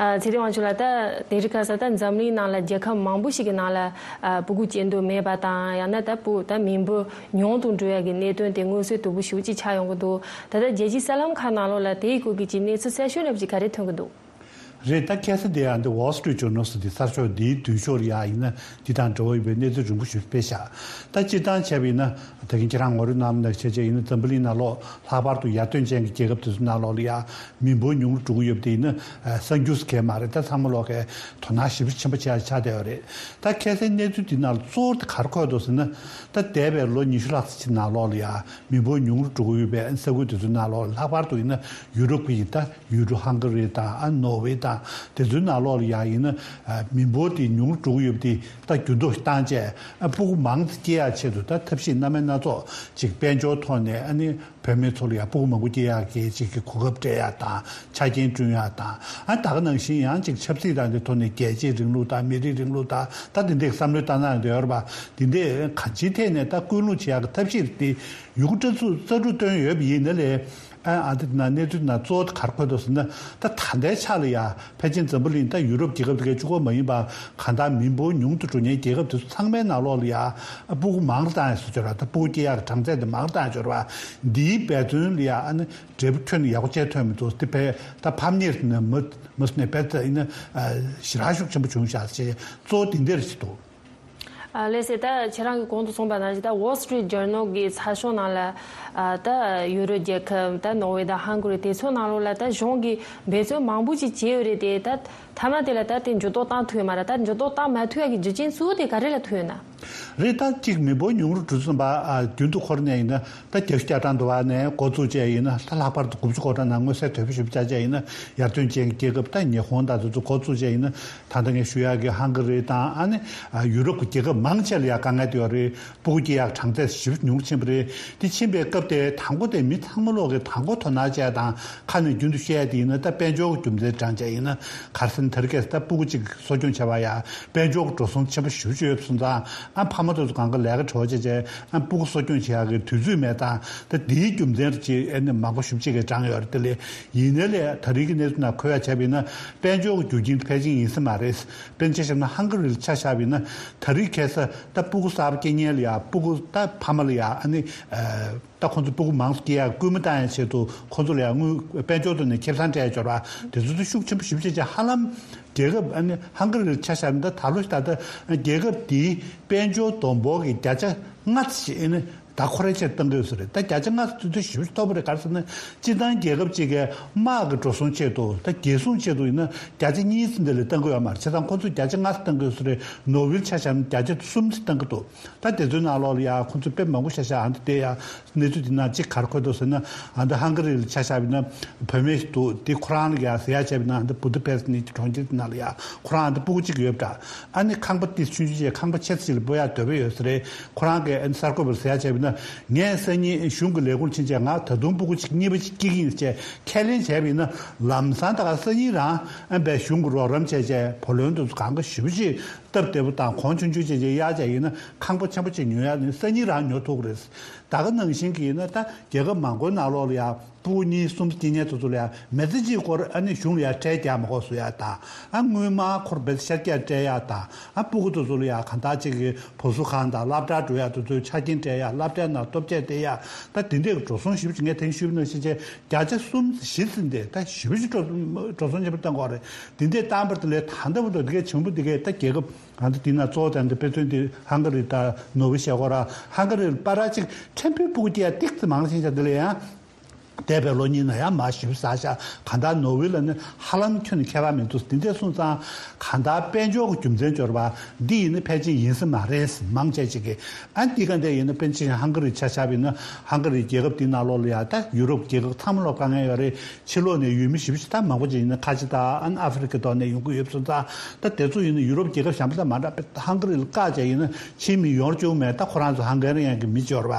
ཨ། ཚེ་བརྟན་དབང་ཕྱུག་ལགས། ད་དེ་རིང་ཁ་སང་ད་འཛམ་གླིང་ནང་ལ་རྒྱལ་ཁབ་མང་པོ་ཞིག་གི་ནང་ལ། ཨ། སྤུ་གུ་སྐྱེ་འདོད་མེད་པ་དང་། ཡང་ན་ད་སྤུ་ད་མི་འབོར་ཉུང་དུ་འགྲོ་ཡ་གི་གནད་དོན་དེ་མངོན་གསལ་དོད་པོ་ཞེ་པོ་ཅིག་ཆགས་ཡོང་གི་འདུག། ད་ལྟ་རྒྱལ་སྤྱིའི་གསར་ལམ་ཁག་ནང་ལོགས་ལ་དེའི་སྐོར་གྱི་ཅིག་གནས་ཚུལ་གསར་ཤོས་འདྲ་པོ་ཅིག་ག་རེ་ཐོན་གྱི་འདུག། རེད། ད་ཁ་སང་དེ་ཡང་འདི་Wall Street Journal་ཟེར་དེ་གསར་ཤོག་འདིའི་མདུན་ཤོག་ལ་ཡང་ཡིན་ན་འདི་དང་འབྲེལ་བ་ཡོད་པའི་གནས་ཚུལ་རིང་པོ་ཞིག་སྤེལ་བཞག་ད་སྤྱིར་བཏང་བྱས་པ་ཡིན་ན་ད་གིན་ཁྱེད་རང་ངོ་སྤྲོད་གནང་ནང་བྱས་བྱས་ཡིན་ན་འཛམ་བུ་གླིང་ནང་ལོགས་ལྷག་པར་དུ་ཡར་ཐོན་ཅན་གྱི་རྒྱལ་ཁབ་དེ་ཚོ་ནང་ལོགས་ལ་ཡང་མི་འབོར་ཉུང་རུ་འགྲོ་གི་ཡོད་པ་དེ་ཡིན་ན་གསར་འགྱུར་ཟེར་མཁན་མ་རེད། ད་ཚང་མ་ལོག་གི་དོ་སྣང་ཞེ་པོ་ཆེན་པོ་བྱས་ཆགས་བསྡད་ཡོད་རེད། ད་ཁ་སང་གནས་ཚུལ་འདི་ནང་ལ་གཙོ་བོ་དེ་ག་རེ་འཁོད་འདུག་ཟེར་ན། ད་འདས་པའི་ལོ་ཉི་ཤུ་ལྷག་ཙམ་ནང་ལོགས་ལ་ཡང་མི་འབོར་ཉུང་རུ་འགྲོ་གི་ཡོད་པའི་ས་ཁུལ་དེ་ཚོའི་ནང་ལོགས་ལ་ལྷག་པར་དུ་ཡིན་ན་ཡུ་རོབ་ཀྱི་ད་ཡུལ་གྲུ་ཧང་ག་རི་དང་ཨ་ནོར་ཝེ་དང་དེ་ཚོའི་ནང་ལོགས་ལ་ཡང་ཡིན་ན་མི་འབོར་དེ་ཉུང་རུ་འགྲོ་གི་ཡོད་པ་དེ་ད་འགྱུར་ལྡོག་བཏང་བྱས་ཨ་སྤུ་གུ་མང་ཙམ་སྐྱེ་ཡག་ཆེད་དུ་ད་ཐབས་ཤེས་སྣ་མིན་སྣ་ཚོགས་ཅིག་དཔལ་འབྱོར་ཐོག་ནས་ཨ་ནི་བུད་མེད་ཚོ་ལ་ཡང་སྤུ་གུ་མང་པོ་སྐྱེ་ཡག་གི་ཅིག་གི་གོ་སྐབས་སྤྲད་ཡག་དང་ཆ་རྐྱེན་བསྐྲུན་ཡག་དང་ཨ་ད་ག་ནང་བཞིན་ཡང་ཅིག་ཆབ་སྲིད་དང་དེ་ཐོག་ནས་རྒྱལ་གཅེས་རིང་ལུགས་དང་མི་རིགས་རིང་ལུགས་དང་ད་དེ་འདྲའི་བསམ་བློ་བཏང་གནང་ཡོད་རེད་པ། དེ་འདྲའི་གང་ཅིའི་ཐད་ནས་ད་སྐུལ་སློང་བྱེད་ཡག་གི་ཐབས་ཤེས་དེ་ཡོད་རྒུ་རྩལ་སྤྲུགས་སྤྲུགས་བཏོན་ཡོད་པ་ཡིན་ན་ལས། ཨ་ཨ་འདི་ན་གནས་ཚུལ་ན་གཙོ་བོ་ག་རེ་འཁོད་འདུག་ཟེར་ན། ད་ད་ལྟའི་ཆ་ལ་ཡ་ཕལ་ཆེར་འཛམ་བུ་གླིང་ད་ཡུ་རོབ་རྒྱལ་ཁབ་དེ་གའི་གཅིག་པོ་མ་ཡིན་པ་གང་ལྟར་མི་འབོར་ཉུང་དུ་འགྲོ་མཁན་རྒྱལ་ཁབ་དེ་ཚོ་ཚང་མའི་ནང་ལོགས་ལ་ཡ་སྤུ་གུ་མང་རུ་བཏང་ཡ་སོ་སྦྱོར་བ་ད་སྤུ་གུ་སྐྱེ་ཡག་གྲངས་ཚད་དེ་མང་རུ་བཏང་ཡ་སྦྱོར་བ་འདིའི་འབད་བརྩོན་ལ་ཡ་ཨ་ནི་འབྲས་བུ་ཁྱོན་ནས་ཡག་པོ་བྱས་ཐོན་མི་འདུག་དེ་བས་ད་ཕམ་ཉེས་ནས་མ་མ་སོང་ནས་བས་ད་ཡིན་ན་ཞེ་དྲག་ཤུགས་ཆེན་པོ་བྱུང་བཞག་ཅེས་གཙོ་བོ་དེ་འདིར་ཞིག་འདུག་ཨ་ལགས་སེ། ད་ཁྱེད་རང་གིས་གོང་དུ་གསུངས་པ་ནང་བཞིན་ད་Wall Street Journal་གི་ཚགས་ཤོག་ནང་ལ་ཨ་ད་ཡུ་རོབ་རྒྱལ་ཁབ་ད་ནོར་ཝེ་དང་ཧང་ག་རི་དེ་ཚོ་ནང་ལོགས་ལ་ད་གཞུང་གིས་འབད་བརྩོན་མང་པོ་ཅིག་བྱས་ཡོད་རེད་དེ། ད་མཐའ་མ་དེ་ལ་ད་དེ་འགྱུར་ལྡོག་བཏང་ཐུབ་ཡོད་མ་རེད། ད་འགྱུར་ལྡོག་བཏང་མ་ཐུབ་ཡ་གི་རྒྱུ་རྐྱེན་གཙོ་བོ་དེ་ག་རེ་ལ་ཐུག་ཡོད་ན། རེད། ད་གཅིག་མི་འབོར་ཉུང་རུ་འགྲོ་བཞིན་པ་ཨ་རྒྱུན་དུ་འཁོར་ནས་ཡིན་ན་ད་བརྒྱ་ཆ་བརྒྱ་གྲངས་འདུ་བ་ནས་འགོ་བཙུགས་བྱས་ཡིན་ན་ད་ལྷག་པར་དུ་དགུ་བཅུ་གོ་གྲངས་ནང་མངོན་གསལ་དོད་པོ་ཞིག་བྱ་བྱས་ཡིན་ན་ཡར་ཐོན་ཅན་གྱི་རྒྱལ་ཁབ་ད་ཉི་ཧོང་དང་དེ་ཚོ་འགོ་བཙུགས་བྱས་ཡིན་ན། ད་ལྟ་ངས་ཞུ་ཡག་གི་ཧང་ག་རི་དང་ཨ་ནི་ཡུ་རོབ་ཀྱི་རྒྱལ་ཁབ་མང་ཆེ་ལ་ཡང་དཀའ་ངལ་དེ་ཡོད་རེད། སྤུ་གུ་སྐྱེ་ཡག་གྲངས་ཚད་ཞེ་པོ་ཉུང་ཕྱིན་པ་རེད། དེ་ཕྱིན་པའི་སྐབས་དེ་དང་པོ་དེ་མི་ཚང་མ་ལོག་གི་དང་པོ་དོ་སྣང་བྱས་དང་ཁ་ནས་རྒྱུན་དུ་བཤད་ཡ་དེ་ཡིན་ན་ད་དཔལ་འབྱོར་གྱི་རྒྱུ་མཚན་དྲངས་བྱས་ཡིན་ན་གར་སོང་དེ་རིང་ཁ་སང་ད་སྤུ་གུ་གཅིག་གསོ་སྐྱོང་བྱས་པ་ཡ་དཔལ་འབྱོར་གྱི་འགྲོ་སོང་ཆེན་པོ་ཞེ་པོ་ཅིག་ཡོད་སོང་ཙང་ཨ་ཕ་མ་དེ་ཚོ་གང་ག་ལས་ཀ་བྲོ་བྱས་བྱས་ཨ་སྤུ་གུ་གསོ་སྐྱོང་བྱེད་ཡག་གི་དུས་ཚོད་མེད་དང་ད་དེའི་རྒྱུ་མཚན་རེད་ཅེས་ཨ་ནི་མང་པོ་ཞེ་པོ་ཅིག་གིས་དྲངས་ཡོད་རེད། དེ་ལས་ཡིན་ན་ལས་ད་རིང་གི་གནས་ཚུལ་ནང་འཁོད་ཡ་བྱས་པ་ཡིན་ན་དཔལ་འབྱོར་གྱི་རྒྱུ་རྐྱེན་དེ་ཕལ་ཆེར་ཡིན་ས་མ་རེད། དཔེར་ན་ཆ་བཞག་ན་ཧང་ག་རི་ལ་ཆ་བཞག་པ་ཡིན་ན་ད་རེས་ཁ་སང་ད་སྤུ་གུ་གསར་པ་སྐྱེ་མཁན་ལ་ཡ་སྤུ་གུ་ད་ཕ་མ་ལ་ཡ་ཨ་ནི་ད་ཁོང་ཚོ་སྤུ་གུ་མང་ཙམ་སྐྱེ་ཡ་སྐུལ་མ་བཏང་ཡ་ཆེད་དུ་ཁོང་ཚོ་ལ་ཡ་དངུལ་དཔལ་འབྱོར་ཐོག་ནས་ཁེ་བཟང་སྤྲད་ཡ་སྦྱོར་བ་དེ་ཚོ་ཚོ་ཤུགས་ཆེན་པོ་ཞེ་པོ་ཅིག་བྱས་ཧ་ལམ་རྒྱལ་ཁབ་ཨ་ནི་ཧང་ག་རི་ལ་ཆ་བཞག་ན་ད་ད་ལོ་ད་ལྟ་རྒྱལ་ཁབ་དེའི་དཔལ་འབྱོར་བསྡོམས་འབོར་གྱི་བརྒྱ་ཆ་ལྔ་ཙམ་ཞིག་ཨ་ནི། ད་ཁོ་རའི་ཆེད་གཏང་གི་ཡོད་ས་རེད། ད་བརྒྱ་ཆ་ལྔ་ཙམ་དེ་ཞེ་པོ་ཅིག་མཐོ་པོ་རེད། ག་རེ་ཟེར་ན་སྤྱིར་བཏང་རྒྱལ་ཁབ་ཅིག་གི་དམག་གི་འགྲོ་སོང་ཆེད་དུ་ད་རྒྱལ་སྲུང་ཆེད་དུ་ཡིན་ན་བརྒྱ་ཆ་གཉིས་ཙམ་དེ་ལས་གཏང་གི་ཡོད་མ་རེད། བྱས་ཙང་ཁོ་ཚོས་བརྒྱ་ཆ་ལྔ་ཙམ་གཏང་གི་ཡོད་ས་རེད། ནོར་ཝེ་ཆ་བཞག་ན་བརྒྱ་ཆ་གསུམ་ཙམ་གཏང་གི་འདུག་ད་དེ་ཚོའི་ནང་ལོགས་ལ་ཡ་ཁོ་ཚོ་དཔེ་མང་པོ་ཤ་ཤ་ཨ་འདི་དེ་ཡ་གནས་ཚུལ་དེ་ནང་གཅིག་ག་རེ་འཁོད་འདུག་ཟེར་ན་ཨ་འདི་ཧང་ག་རི་ལ་ཆ་བཞག་པ་ཡིན་ན་བུད་མེད་ཞིག་འདུག་དེ་ཁོ་རང་ལ་ཡ་ཟེར་ཡ་བྱས་པ་ཡིན་ན་ཨ་འདི་བུ་ད་པེ་སི་ནི་གྲོང་ཁྱེར་དེ་ནང་ལ་ཡ་ཁོ་རང་ཨ་འདི་སྤུ་གུ་གཅིག་ཡོད་པ་འདྲ། ཨ་ནི་ཁང་པ་ཏི་ཆུང་ཆུང་བྱས་ཁང་པ་ཆེ་ས་ཅིག་ལ་སྤོ་ཡག་འདོད་པ་ཡོད་ས་རེད། ཁོ་རང་གིས་ཨ་ནི་གསར་འགོད་པར་ཟེར་ཡ་བྱས་པ་ཡིན་ན་ངས་སང་ཉིན་གཞུང་གི་ལས་ཁུངས་ཕྱིན་བྱས་ང་ད་དུང་སྤུ་གུ་གཅིག་གཉིས་པ་གཅིག་སྐྱེ་གི་ཡིན་ཟེར་ཁས་ལེན་བྱས་པ་ཡིན་ན་ལམ་སང་ད་ག་སང་ཉིན་རང་ཨ་ནི་སྤུ་གུ་གཞུང་གིས་རོགས་རམ་བྱས་བྱས་བུ་ལོན་དེ་ཚོ་གང་ག་ཞེ་པོ་ཅིག་སྟབས་བདེ་པོ་དང་གོང་ཆུང་ཆུང་བྱས་བྱས་གཡར་བྱས་ཡིན་ན་ཁང་པ་ཆེན་པོ་ཅིག་ཉོ་ཡག་ནི་སང་ཉིན་རང་ཉོ་ཐུབ་ཀྱི་རེད། ད་ག་ནང་བཞིན་གྱི་ཡིན་ན་ད་རྒྱལ་ཁབ་མང་པོའི་ནང་ལོགས་ལ་ཡང་སྤུ་གུ་གཉིས་གསུམ་སྐྱེ་མཁན་དེ་ཚོ་ལ་ཡང་མི་ཚེ་གཅིག་སྐོར་ཨ་ནི་གཞུང་ལ་ཡང་ཁྲལ་རྒྱག་མ་དགོས་བཟོ་ཡག་དང་ཨ་དངུལ་སྨར་ཁུར་བེད་ཤར་རྒྱག་སྤྲད་ཡག་དང་ཨ་སྤུ་གུ་དེ་ཚོ་ལ་ཡང་གང་ལྟར་གཅིག་གི་བུ་གསོ་ཁང་དང་སློབ་གྲྭ་འགྲོ་ཡག་དེ་ཚོའི་ཆ་རྐྱེན་སྤྲད་ཡག་སློབ་གྲྭའི་ནང་སྟོབས་ཆས་སྟེར་ཡག་ད་དེ་འདྲའི་འགྲོ་སོང་ཞེ་པོ་ཅིག་ངས་ད་གིན་ཞུས་པ་ནང་བཞིན་བྱས་བརྒྱ་ཆ་གསུམ་བཞི་ཟིན་ཏེ་ད་ཞེ་པོ་ཅིག་འགྲོ་འགྲོ་སོང་ཆེན་པོ་བཏང་གི་ཡོད་རེད། དེ་འདྲའི་བཏང་བར་དེ་ལས་ད་ལྟ་བར་དུ་དེ་གའི་བྱུང་བུ་དེ་གའི་ད་རྒྱལ་ཁབ་གང་ལྟར་དེ་ན་གཙོ་བོ་དེ་འདི་དཔེ་མཚོན་དེ་ཧང་ག་རི་དང་ནོར་ཝེ་བཤད་སྐོར་ར། ཧང་ག་རི་བར་ར་གཅིག་ཕྲན་བུ་སྤུ་གུ་སྐྱེ་ཡ་ཏིག་ཙམ་མང་ཕྱིན་ཤག་དེ་ལ་ཡང་འདས་པའི་ལོ་གཉིས་ནང་ཡང་མར་ཞེ་པོ་ཟག་ཤག་གང་ལྟར་ནོར་ཝེ་ལ་ནི་ཧ་ལམ་ཁྱོན་ནས་ཁྱད་པར་མི་འདུག་དེ་འདྲ་སོང་ཙང་གང་ལྟར་དཔལ་འབྱོར་གྱི་རྒྱུ་མཚན་སྦྱོར་བ་འདི་ཡིན་ན་ཕལ་ཆེར་ཡིན་ས་མ་རེད། མང་ཆེ་ཅིག་གིས་ཨ་འདི་ག་འདྲ་ཡིན་ན་དཔེར་ན་ཆ་བཞག་ཧང་ག་རི་ཆ་བཞག་པ་ཡིན་ན་ཧང་ག་རི་རྒྱལ་ཁབ་འདི་ནང་ལོགས་ལ་ཡང་ད་ཡུ་རོབ་རྒྱལ་ཁབ་ཚང་མ་ལོགས་དཀའ་ངལ་ཡོད་རེད། ཕྱི་ལོགས་ནས་ཡུལ་མི་ཞེ་པོ་ཅིག་ད་མང་པོ་ཅིག་ཡིན་ན་ཁ་ཆེ་དང་ཨ་ནི་ཨ་ཧྥེ་རི་ཁའི་ཐོག་ནས་ཡོང་གི་ཡོད་པ་སོང་ཙང་ད་དེ་ཚོ་ཡིན་ན་ཡུ་རོབ་རྒྱལ་ཁབ་གཞན་པ་ཚང་མ་འདྲ་ཧང་ག་རི་ལ་བཀག་བྱས་ཡིན་ན་ཕྱིའི་མི་ཡོང་རྒྱུ་མེད། ད་ཁོ་རང་ཚོ་ཧང་ག་རི་ཡན་གྱི་མི་འབྱོར་བ་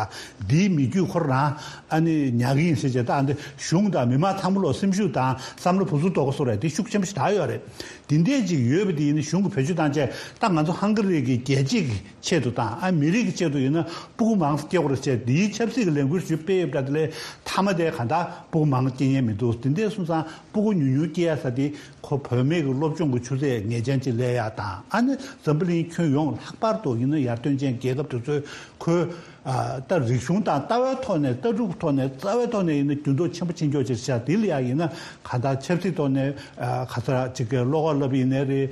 འདིའི་མི་རྒྱུད་ཁོ་རང་ཨ་ནི་ཉར་གི་ཡིན་ཟེར་བྱས་ད་ཨ་འདི་གཞུང་དང་མི་མང་ཚང་མ་ལོག་སེམས་ཤུགས་དང་བསམ་བློ་བུ་ཚུགས་དོག་གོ་སོགས་རེད་དེ་ཤུགས་ཆེན་པོ་ཞིག་དར་ཡོད་རེད། དེ་འདྲས་ཅིག་ཡོད་པ་དེ་ཡིན་ན་གཞུང་གི་བེད་སྤྱོད་བཏང་བྱས་ད་ང་ཚོ་ཧང་ག་རི་གི་རྒྱལ་གཅེས་ཀྱི་ཆེད་དུ་དང་ཨ་མི་རིགས་ཀྱི་ཆེད་དུ་ཡིན་ན་སྤུ་གུ་མང་ཙམ་སྐྱེ་དགོས་རེད་ཟེར་འདིའི་ཆབ་སྲིད་ཀྱི་ལས་འགུལ་ཞིག་སྤེལ་ཡོད་པ་འདྲ། དེ་ལས་མཐའ་མ་དེ་གང་ལྟར་སྤུ་གུ་མང་སྐྱེ་མཁན་མི་འདུག་དེ་འདྲས་སོང་ཙང་སྤུ་གུ་ཉུང་ཉུང་སྐྱེ་ཡ་ས་དེ་ཁོ་བུད་མེད་ཀྱི་སློབ་སྦྱོང་གི་ཆུ་ཚད་ངེས་ཅན་ཅིག་སླེབས་ཡ་དང་ཨ་ནི་འཛམ་བུ་གླིང་ཁྱོན་ཡོངས་ལྷག་པར་དུ་ཡིན་ན་ཡར་ཐོན་ཅན་རྒྱལ་ཁབ་དེ་ཚོས་ཁོའི་ཨ་ད་རིག་གཞུང་དང་ལྟ་བའི་ཐོག་ནས་ལྟ་གྲུབ་ཐོག་ནས་རྩ་བའི་ཐོག་ནས་ཡིན་ན། འགྱུར་ལྡོག་ཆེན་པོ་ཕྱིན་ཆོག་ཅིག་ཤག་དེ་ལ་ཡང་ཡིན་ན་གང་ལྟར་ཆབ་སྲིད་ཐོག་ནས་ག་ས་ཅིག་གི་བློ་ཁོག་སློབ་ཡིན་ནའི་རེད།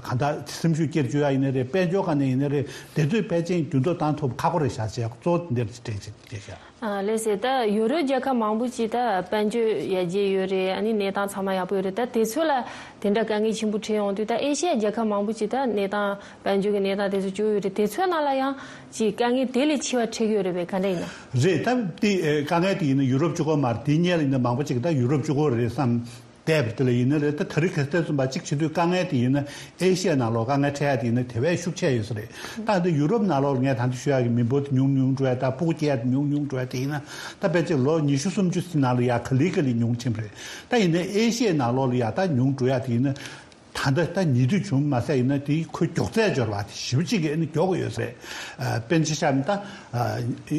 གང་ལྟར་སེམས་ཤུགས་སྐྱེད་བཅུག་ཡ་ཡིན་ནའི་རེད། དཔལ་འབྱོར་སྒང་ནས་ཡིན་ནའི་རེད། དེ་ཚོས་ཕལ་ཆེར་འགྱུར་ལྡོག་བཏང་ཐུབ་ཁག་པོ་རེད་ཤག་ཅེས་གཙོ་བོ་དེ་འདིར་དྲན་ཅིག་བྱས་ཤག་ཨ་ལགས་སེ། ད་ཡུ་རོབ་རྒྱལ་ཁབ་མང་པོ་ཅིག་ད་དཔལ་འབྱོར་ཡར་རྒྱས་ཡོད་རེད། ཨ་ནི་གནས་སྟངས་ཚང་མ་ཡག་པོ་ཡོད་རེད། ད་དེ་ཚོ་ལ་དེ་འདྲ་དཀའ་ངལ་ཆེན་པོ་འཕྲད་ཡོང་དུས། ད་ཨེ་ཤི་ཡ་རྒྱལ་ཁབ་མང་པོ་ཅིག་ད་གནས་སྟངས་དཔལ་འབྱོར་གྱི་གནས་སྟངས་དེ་ཚོ་སྐྱོ་ཡོད་རེད། དེ་ཚོའི་ནང་ལ་ཡང་ཅིག་དཀའ་ངལ་དེ་ལས་ཆེ་བ་འཕྲད་ཀྱི་ཡོད་རེད་པས། ག་འདྲ་ཡིན་ན། རེད། ད་དེ་དཀའ་ངལ་དེ་ཡིན་ན་ཡུ་རོབ་གཅིག་པོ་མ་རེད། དེ་སྔོན་ལ་ཡིན་ན་མང་པོ་ཅིག་ད་ཡུ་རོབ་གཅིག་པོ་རེད་བསམ་བསྡད་པ་དེ་ལ་ཡིན་ན་རེད། ད་དེ་རིང་ཁ་སང་གསུངས་པ་གཅིག་བྱེད་དུས་དཀའ་ངལ་དེ་ཡིན་ན་ཨེ་ཤི་ཡའི་ནང་ལོགས་དཀའ་ངལ་འཕྲད་ཡ་དེ་ཡིན་ན་དེ་བས་ཤུགས་ཆེ་ཡོད་ས་རེད། ད་འདི་ཡུ་རོབ་ནང་ལོགས་ལ་ངས་ད་ལྟ་ཞུ་ཡ་གི་མི་འབོར་དེ་ཉུང་ཉུང་འགྲོ་ཡ་དང་སྤུ་གུ་སྐྱེ་ཡ་དེ་ཉུང་ཉུང་འགྲོ་ཡ་དེ་ཡིན་ན། ད་ཕལ་ཆེར་ལོ་ཉི་ཤུ་སུམ་ཅུ་ཙམ་ནང་ལ་ཡ་ག་ལེ་ག་ལེ་ཉུང་ཕྱིན་པ་རེད། ད་ཡིན་ནའི་ཨེ་ཤི་ཡའི་ནང་ལོགས་ལ་ཡ་ད་ཉུང་འགྲོ་ཡ་དེ་ཡིན་ན། ད་ལྟ་ད་ཉེ་དུས་བྱུང་མ་ཟད་ཡིན་ན་དེའི་ཁོའི་མགྱོགས་ཚད་འབྱོར་བ་དེ་ཞེ་པོ་ཅིག་གིས་ཨ་ནི་མགྱོགས་ཀྱི་ཡོད་ས་རེད། ཨ་དཔེར་ན་ཆ་བཞག་ན་ད་ཨ་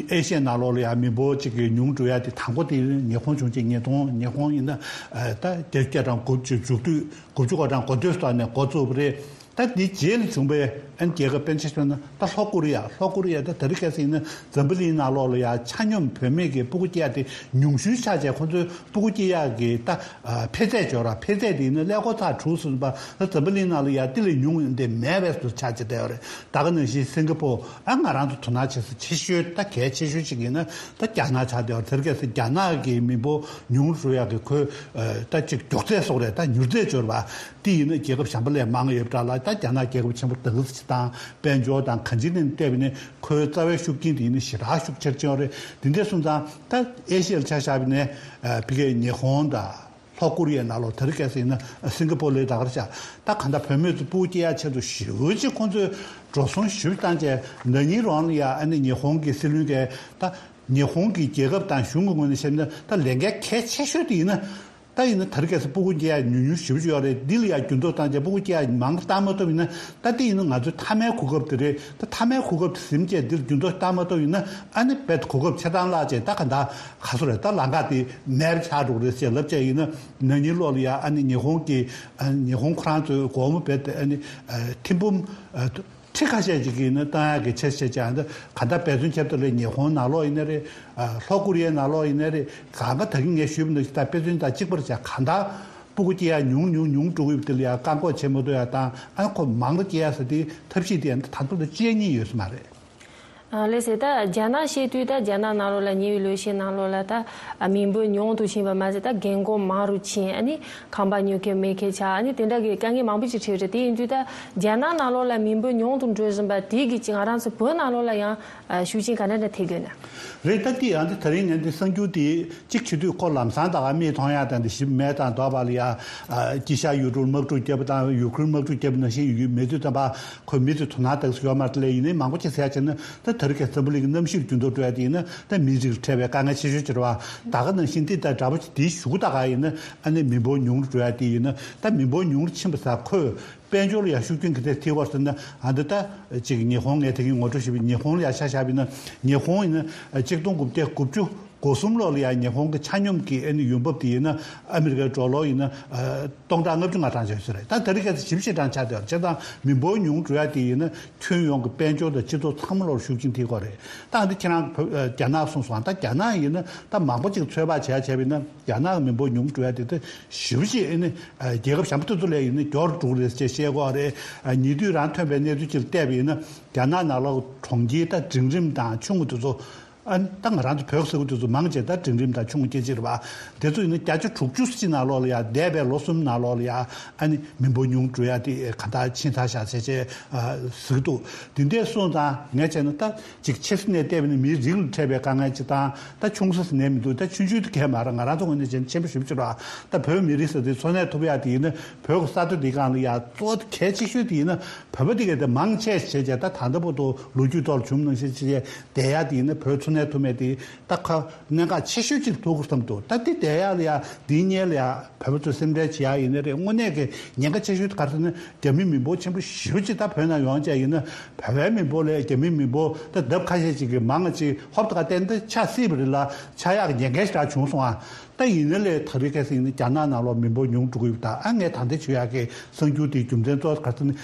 ཨེ་ཤི་ཡའི་ནང་ལོགས་ལ་ཡང་མི་འབོར་ཅིག་གི་ཉུང་འགྲོ་ཡ་དེ་དང་པོ་དེ་ཉི་ཧོང་བྱུང་རྗེས་ཉིས་སྟོང་ཉི་ཧོང་ཡིན་ན་ཨ་ད་བརྒྱད་ཅུ་གྱ་གྲངས་དགུ་བཅུ་མཇུག་བསྡུས་དགུ་བཅུ་གོ་གྲངས་འགོ་སྟོད་སོགས་ནས་འགོ་བཙུགས་པ་རེད། ད་དེ་རྗེས་ལ་བྱུང་བའི་ཨ་ནི་རྒྱལ་ཁབ་དཔེར་ན་ཆ་བཞག་ན་ད་ལྷོ་ཀོ་རི་ཡ། ལྷོ་ཀོ་རི་ཡ་ད་དེ་རིང་ཁ་སང་ཡིན་ན་འཛམ་བུ་གླིང་ནང་ལོགས་ལ་ཡང་ཆ་སྙོམས་བུད་མེད་ཀྱི་སྤུ་གུ་སྐྱེ་ཡ་དེ་ཉུང་ཤོས་ཆགས་བྱས། ཁོང་ཚོའི་སྤུ་གུ་སྐྱེ་ཡག་གི་ད་ཨ་འཕེལ་ཚད་འབྱོར་བ། འཕེལ་ཚད་དེ་ཡིན་ན་ཀླད་ཀོར་ཚར་དྲུག་ཟིན་པ་ད་འཛམ་བུ་གླིང་ནང་ལ་ཡ་དེ་ལས་ཉུང་ཡོང་དེ་མེད་པའི་བཟོ་ཆགས་ཀྱི་བསྡད་ཡོད་རེད། ད་ག་ནང་བཞིན་སིང་ག་པོ་ཨ་ང་རང་ཚོ་དོ་སྣང་བྱེད་ས་ཆེ་ཤོས་ད་གལ་ཆེ་ཤོས་ཤིག་ཡིན་ན་ད་རྒྱ་ནག་ཆགས་བསྡད་ཡོད་རེད། དེར་གལ་སྲིད་རྒྱ་ནག་གི་མི་འབོར་ཉུང་རུ་འགྲོ་ཡག་གི་ཁོའི་ད་ཅིག་མགྱོགས་ཚད་སོགས་རེད། ད་མྱུར་ཚད་འབྱོར་བ་དེ་ཡིན་ན་རྒྱལ་ཁབ་གཞན་པ་ལས་མང་ཡོད་པ་འདྲ་ལ། ད་རྒྱ་ནག་རྒྱལ་ཁབ་ཆེན་པོ་དང་ཅི་དང་དཔལ་འབྱོར་དང་གང་ཅིའི་ནང་བལྟས་པ་ཡིན་ན་ཁོའི་རྩ་བའི་ཤུགས་རྐྱེན་དེ་ཡིན་ན་ཞེ་དྲག་ཤུགས་ཆེར་ཕྱིན་ཡོད་རེད། དེ་འདྲ་སོང་ཙང་ད་ཨེ་ཤི་ཡར་ཆ་བཞག་པ་ཡིན་ན་ཨ་ཕ་གིའི་ཉི་ཧོང་དང་ལྷོ་ཀོ་རི་ཡའི་ནང་ལོགས། དེ་རིང་ཁ་སང་ཡིན་ན་སིང་ག་པོར་ལ་ད་གར་བཞག་ད་གང་ལྟར་བུད་མེད་ཚོ་སྤུ་གུ་སྐྱེ་ཡག་ཆེད་དུ་ཞེ་པོ་ཅིག་ཁོང་ཚོས་འགྲོ་སོང་ཞེ་པོ་བཏང་བྱས། ན་ནིང་རང་ལ་ཡ་ཨ་ནི་ཉི་ཧོང་གི་སྲིད་བློན་གྱིས་ད་ཉི་ཧོང་གི་རྒྱལ་ཁབ་དང་གཞུང་གི་ངོས་ནས་བཤད་ན་ད་ལས་འགན་གལ་ཆེ་ཤོས་དེ་ཡིན་ན། ད་ཡིན་ན་དེ་རིང་ཁ་སང་སྤུ་གུ་སྐྱེ་ཡག་ཉུང་ཉུང་ཞེ་པོ་ཅིག་ཡོད་རེད། འདི་ལ་ཡ་འགྱུར་ལྡོག་བཏང་བྱས་སྤུ་གུ་སྐྱེ་ཡག་མང་བཏང་མ་ཐུབ་ཡིན་ན། ད་དེ་ཡིན་ན་ང་ཚོའི་མཐའ་མའི་གོ་སྐབས་དེ་རེད། ད་མཐའ་མའི་གོ་སྐབས་དེ་ཟིན་བྱས་འདིར་འགྱུར་ལྡོག་བཏང་མ་ཐུབ་ཡིན་ན་ཨ་ནི་རྦད་དེ་གོ་སྐབས་ཆ་ཚང་བརླག་བྱས། ད་ག་འདྲ་ག་སོ་རེད། ད་ལམ་ཁ་དེ་མེད་པ་ཆགས་འགྲོ་གི་རེད་ཅེས་ལབ་བྱས་ཡིན་ན། ན་ནིང་ལོགས་ལ་ཡ་ཨ་ནི་ཉི་ཧོང་གི་ཨ་ནི་ཉི་ཧོང་ཁོ་རང་ཚོའི་སྒོར་མོ་རྦད་དེ་ཨ་ནི་ཨ་ཐེར་འབུམ་ཨ་ཁྲི་ཁ་ཤས་ཅིག་གིས་ནི་བཏང་ཡག་གི་ཆེད་བྱས་ཀྱང་། འདི་ག་འདྲ་འབད་བརྩོན་བྱས་པ་དེ་ལས་ཉི་ཧོང་ནང་ལོགས་ཡིན་ན་རེད། ཨ་ལྷོ་ཀོ་རི་ཡའི་ནང་ལོགས་ཡིན་ན་རེད། གང་ག་ད་གིན་ངས་ཞུས་པ་ནང་བཞིན་ད་དཔེ་མཚོན་དང་གཅིག་པར་བྱས། གང་ལྟར་སྤུ་གུ་སྐྱེ་ཡག་ཉུང་ཉུང་ཉུང་འགྲོ་གི་ཡོད་པ་དེ་ལ་ཡང་བཀག་འགོག་བྱེད་མ་ཐུབ་ཡག་དང་། ཨ་ཁོ་མང་རུ་སྐྱེ་ཡག་ཟེར་དེའི་ཐབས་ཤེས་དེ་ད་དུང་ད་ཅི་ཡང་རྙེད་ཡོད་ས་མ་རེད། ཨ་ལགས་སེ། ད་རྒྱ་ནག་བཤད་དུས་ད་རྒྱ་ནག་ནང་ལོགས་ལ་ཉེ་བའི་ལོ་ཤས་ནང་ལོགས་ལ་ད་ཨ་མི་འབོར་ཉུང་དུ་ཕྱིན་པ་མ་ཟད་ད་རྒན་རྒོན་མང་རུ་ཕྱིན། ཨ་ནི་ཁང་པ་ཉོ་མཁན་མེད་མཁན་ཆགས། ཨ་ནི་དེ་འདྲ་གི་དཀའ་ངལ་མང་པོ་ཅིག་འཕྲད་ཡོད་རེད། དེ་ཡིན་དུས་ད་རྒྱ་ནག་ནང་ལོགས་ལ་མི་འབོར་ཉུང་དུ་འགྲོ་བཞིན་པ་དེ་གིས་ཅིག་ང་རང་ཚོ་བོད་ནང་ལོགས་ལ་ཡང་ཨ་ཤུགས་རྐྱེན་ག་འདྲ་འདྲ་ཐེབས་ཀྱི་ཡོད་ན། རེད། ད་དེ་ཡང་དེ་ད་རིང་ངས་འདི་གསར་འགྱུར་དེ་གཅིག་བྱེད་དུས་ཁོ་ལམ་སང་ད་ག་མིག་མཐོང་ཡག་དང་དེ་ཞིབ་མེད་དང་། འདོད་པ་ལ་ཡ་ཨ་དཀྱིལ་ཤར་ཡུལ་གྲུར་དམག་འཁྲུག་བརྒྱབ་པ་དང་ཡུ་ཁུ་རེན་དམག་འཁྲུག་བརྒྱབ་པ་ནང་བཞིན་ཡོད་མེད་དུས་ཙམ་པ་ཁོ་མི་ཚོས་དོ་སྣང་གཏོང་ས་ཡོད་མ་རེད། དེ་ལས་ཡིན་ནའི་མང་པོ་ཅིག་ཟེར་ཡག་བྱས་ན། ད་དེ་རིང་ཁ་སང་འཛམ་བུ་གླིང་གི་གནམ་གཤིས་འགྱུར་ལྡོག་འགྲོ་ཡག་དེ་ཡིན་ན་ད་མིའི་རིགས་ལ་འཕྲད་པའི་དཀའ་ངལ་ཆེ་ཤོས་ཅིག་རེད་པ། ད་ག་ནང་བཞིན་དེ་ད་འདྲ་པོ་ཅིག་དེའི་གཞུག་གུ་ད་ག་ཡིན་ན་ཨ་ནི་མི་འབོར་ཉུང་རུ་འགྲོ་ཡག་དེ་ཡིན་ན། ད་མི་འབོར་ཉུང་རུ་ཕྱིན་པ་ཟེར་ཁོས་དཔལ་འབྱོར་ལ་ཡ་ཤུགས་རྐྱེན་ག་འདྲ་ཐེབས་ཀྱི་ཡོད་ཟེར་ན། ཨ་འདི་ད་ཅིག་ཉི་ཧོང་ངས་དེ་གིན་ངོ་སྤྲོད་ཞུས་པའི་ཉི་ཧོང་ལ་ཡ་ཆ་བཞག་པ་ཡིན་ན། ཉི་ཧོང་ཡིན་ན་གཅིག་སྟོང་དགུ་བརྒྱ་དགུ་བཅུ་གོ་གསུམ་ལོ་ལ་ཡ་ཉི་ཧོང་གི་ཆ་སྙོམས་ཀྱི་ཨ་ནི་ཡོང་འབབ་དེ་ཡིན་ན་ཨ་མི་རི་ཀའི་ཌོ་ལར་ཡིན་ན་ཨ་སྟོང་ཕྲག་ལྔ་བཅུ་ང་གྲངས་ཅིག་ཡོད་ས་རེད། ད་དེ་རིང་ཁ་སང་ཞེ་པོ་ཞེ་དྲག་ཆག་བསྡད་ཡོད་རེད། བྱས་ཙང་མི་འབོར་ཉུང་འགྲོ་ཡག་དེ་ཡིན་ན་ཁྱོན་ཡོངས་ཀྱི་དཔལ་འབྱོར་དང་སྤྱི་ཚོགས་ཚང་མ་ལོར་ཤུགས་རྐྱེན་ཐེབས་ཀྱི་ཡོད་རེད། ད་འདི་ཁྱེད་རང་བོད་ཨ་རྒྱ་ནག་གསུངས་སོང་། ད་རྒྱ་ནག་ཡིན་ན་ད་མང་པོ་ཅིག་ཚོད་དཔག་བྱས་བྱས་པ་ཡིན་ན་རྒྱ་ནག་གི་མི་འབོར་ཉུང་འགྲོ་ཡག་དེ་ད་ཞེ་པོ་ཞིག་ཨ་ནི་ཨ་རྒྱལ་ཁབ་གཞན་པ་དེ་ཚོ་ལས་ཡིན་ན་མགྱོགས་རུ་འགྲོ་གི་རེད་ཅེས་བཤད་ཀྱི་ཡོད་རེད། ཨ་ཉེ་དུས་རང་ཐོན་པའི་གནས་ཚུལ་ཅིག་ལ་བལྟས་པ་ཡིན་ན་རྒྱ་ནག་ནང་ལོགས་གྲོང་ཁྱེར་ད་འབྲིང་རིམ་དང་ཆུང་ངུ་དེ་ཚོ། ཨ་ད་ང་རང་ཚོ་བོད་ཟེར་དུས་ཚོད་མང་ཆེ་ད་འབྲིང་རིམ་དང་ཆུང་ངུ་སྐད་ཆ་རེད་པ། དེ་ཚོ་ཡིན་ན་བརྒྱ་ཆ་དྲུག་ཅུ་ཙམ་ནང་ལོགས་ལ་ཡ་འདས་པའི་ལོ་གསུམ་ནང་ལོགས་ལ་ཡ་ཨ་ནི་མི་འབོར་ཉུང་འགྲོ་ཡ་དེ་ག་འདྲ་ཕྱིན་ཚར་ཤག་ཟེར་བྱས་ཨ་ཟེར་གྱི་འདུག་དེ་འདྲ་སོང་ཙང་ངས་བྱས་ན་ད་ཅིག་ཆེ་ས་ནས་བལྟས་པ་ཡིན་ན་མིའི་རིགས་ལ་འཕྲད་པའི་དཀའ་ངལ་ཅིག་དང་། ད་ཆུང་ས་ཟེར་ནས་མི་འདུག་ད་ཆུང་ཆུང་དེ་གས་མ་རེད། ང་རང་ཚོ་ངོས་ནས་བྱས་ན་ཆེན་པོ་ཞེ་པོ་ཅིག་རེད་པ། ད་བོད་མི་རིགས་ཟེར་དུས་འཚོ་གནས་ཐུབ་ཡ་དེ་ཡིན་ན་བོད་ཀྱི་ས་མཐོ་དེ་སྒང་ལ་ཡ་གཙོ་བོ་གལ་ཆེ་ཤོས་དེ་ཡིན་ན་བོད་པ་དེ་གས་དེ་མང་ཆེ་བྱས་བྱས་ད་ད་ལྟ་བར་དུ་ལོ་རྒྱུས་ཐོག་ལ་བྱུང་ནང་བཞིན་བྱས་བསྡད་ཡ་དེ་ཡིན་ན་བོད་འཚོ་གནས་ཐུབ་མེད་དེ། ད་ཁ་གནད་འགག་ཆེ་ཤོས་ཅིག་ཐུག་གི་བསམ་འདུག་ད་དེ་བསྡད་ཡག་ལ་ཡ་འདིའི་སྔོན་ལ་ཡ་བོད་པ་ཚོས་སེམས་ཁྲལ་བྱེད་ཡག་ཡིན་ན་རེད། དངོས་གནས་ཀྱི་ཉེན་ཁ་ཆེ་ཤོས་དེ་ག་རེ་ཟེར་ན་རྒྱ་མི་མི་འབོར་ཆེན་པོ་ཞེ་པོ་ཅིག་ད་བོད་ནང་ཡོང་བྱས་ཡིན་ན་བོད་པའི་མི་འབོར་ལས་རྒྱ་མི་མི་འབོར་ད་ལྡབ་ཁ་ཤས་ཅིག་གིས་མང་ང་ཅིག་ཧོབ་ཏེ་ག་བལྟས་ན་ཆགས་སྲིད་པ་རེད་ལ། ཆགས་ཡག་གི་ཉེན་ཁ་ཞེ་དྲག་བྱུང་སོང་ཨ། ད་ཡིན་ན་ལས་ད་རེས་ཁ་སང་ཡིན་ན་རྒྱ་ནག་ནང་ལོགས་མི་འབོར་ཉུང་འགྲོ་གི་ཡོད་པ་དང་། ཨ་ངས་ད་ལྟ་ཞུ་ཡག་གི་གསར་འགྱུར་དེའི་རྒྱུ་མཚན་གཙོ་བོ་ག་རེ་ཟེར་ན་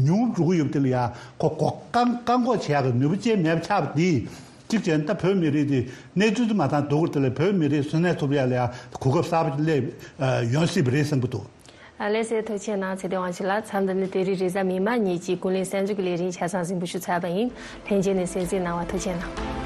ཉུང་འགྲོ་གི་ཡོད་པ་དེ་ལ་ཡ་ཁོ་བཀག་བཀག་འགོག་བྱེད་ཡག་གི་ནུས་པ་ཅན་མེད་པ་ཆགས་པ་དེས། གཅིག་བྱས་ན་ད་བོད་མི་རིགས་དེ་གནས་ཚུལ་དེ་མ་ཐང་སྡུག་གུ་དེ་ལས་བོད་མི་རིགས་འཚོ་གནས་ཐུབ་ཡ་ལ་ཡ་གོ་སྐབས་གསར་པ་སླེབས་ཡོང་སྲིད་པ་རེད་བསམ་གྱི་འདུག་ཨ་ལགས་སེ། ཐུགས་རྗེ་གནང་ཚེ་བརྟན་དབང་ཕྱུག་ལགས། མཚམས་འདི་ནས་དེ་རིང་རེས་གཟའ་མིག་དམར་ཉིན་གྱི་ཀུན་གླེང་གསར་འགྱུར་གྱི་ལས་རིམ་ཆ་ཚང་གཟིགས་འབུལ་ཞུ་ཚར་བ་ཡིན། ལྷན་རྒྱས་ནས་གསན་གཟིགས་གནང་བ་ཐུགས་རྗེ་གནང་།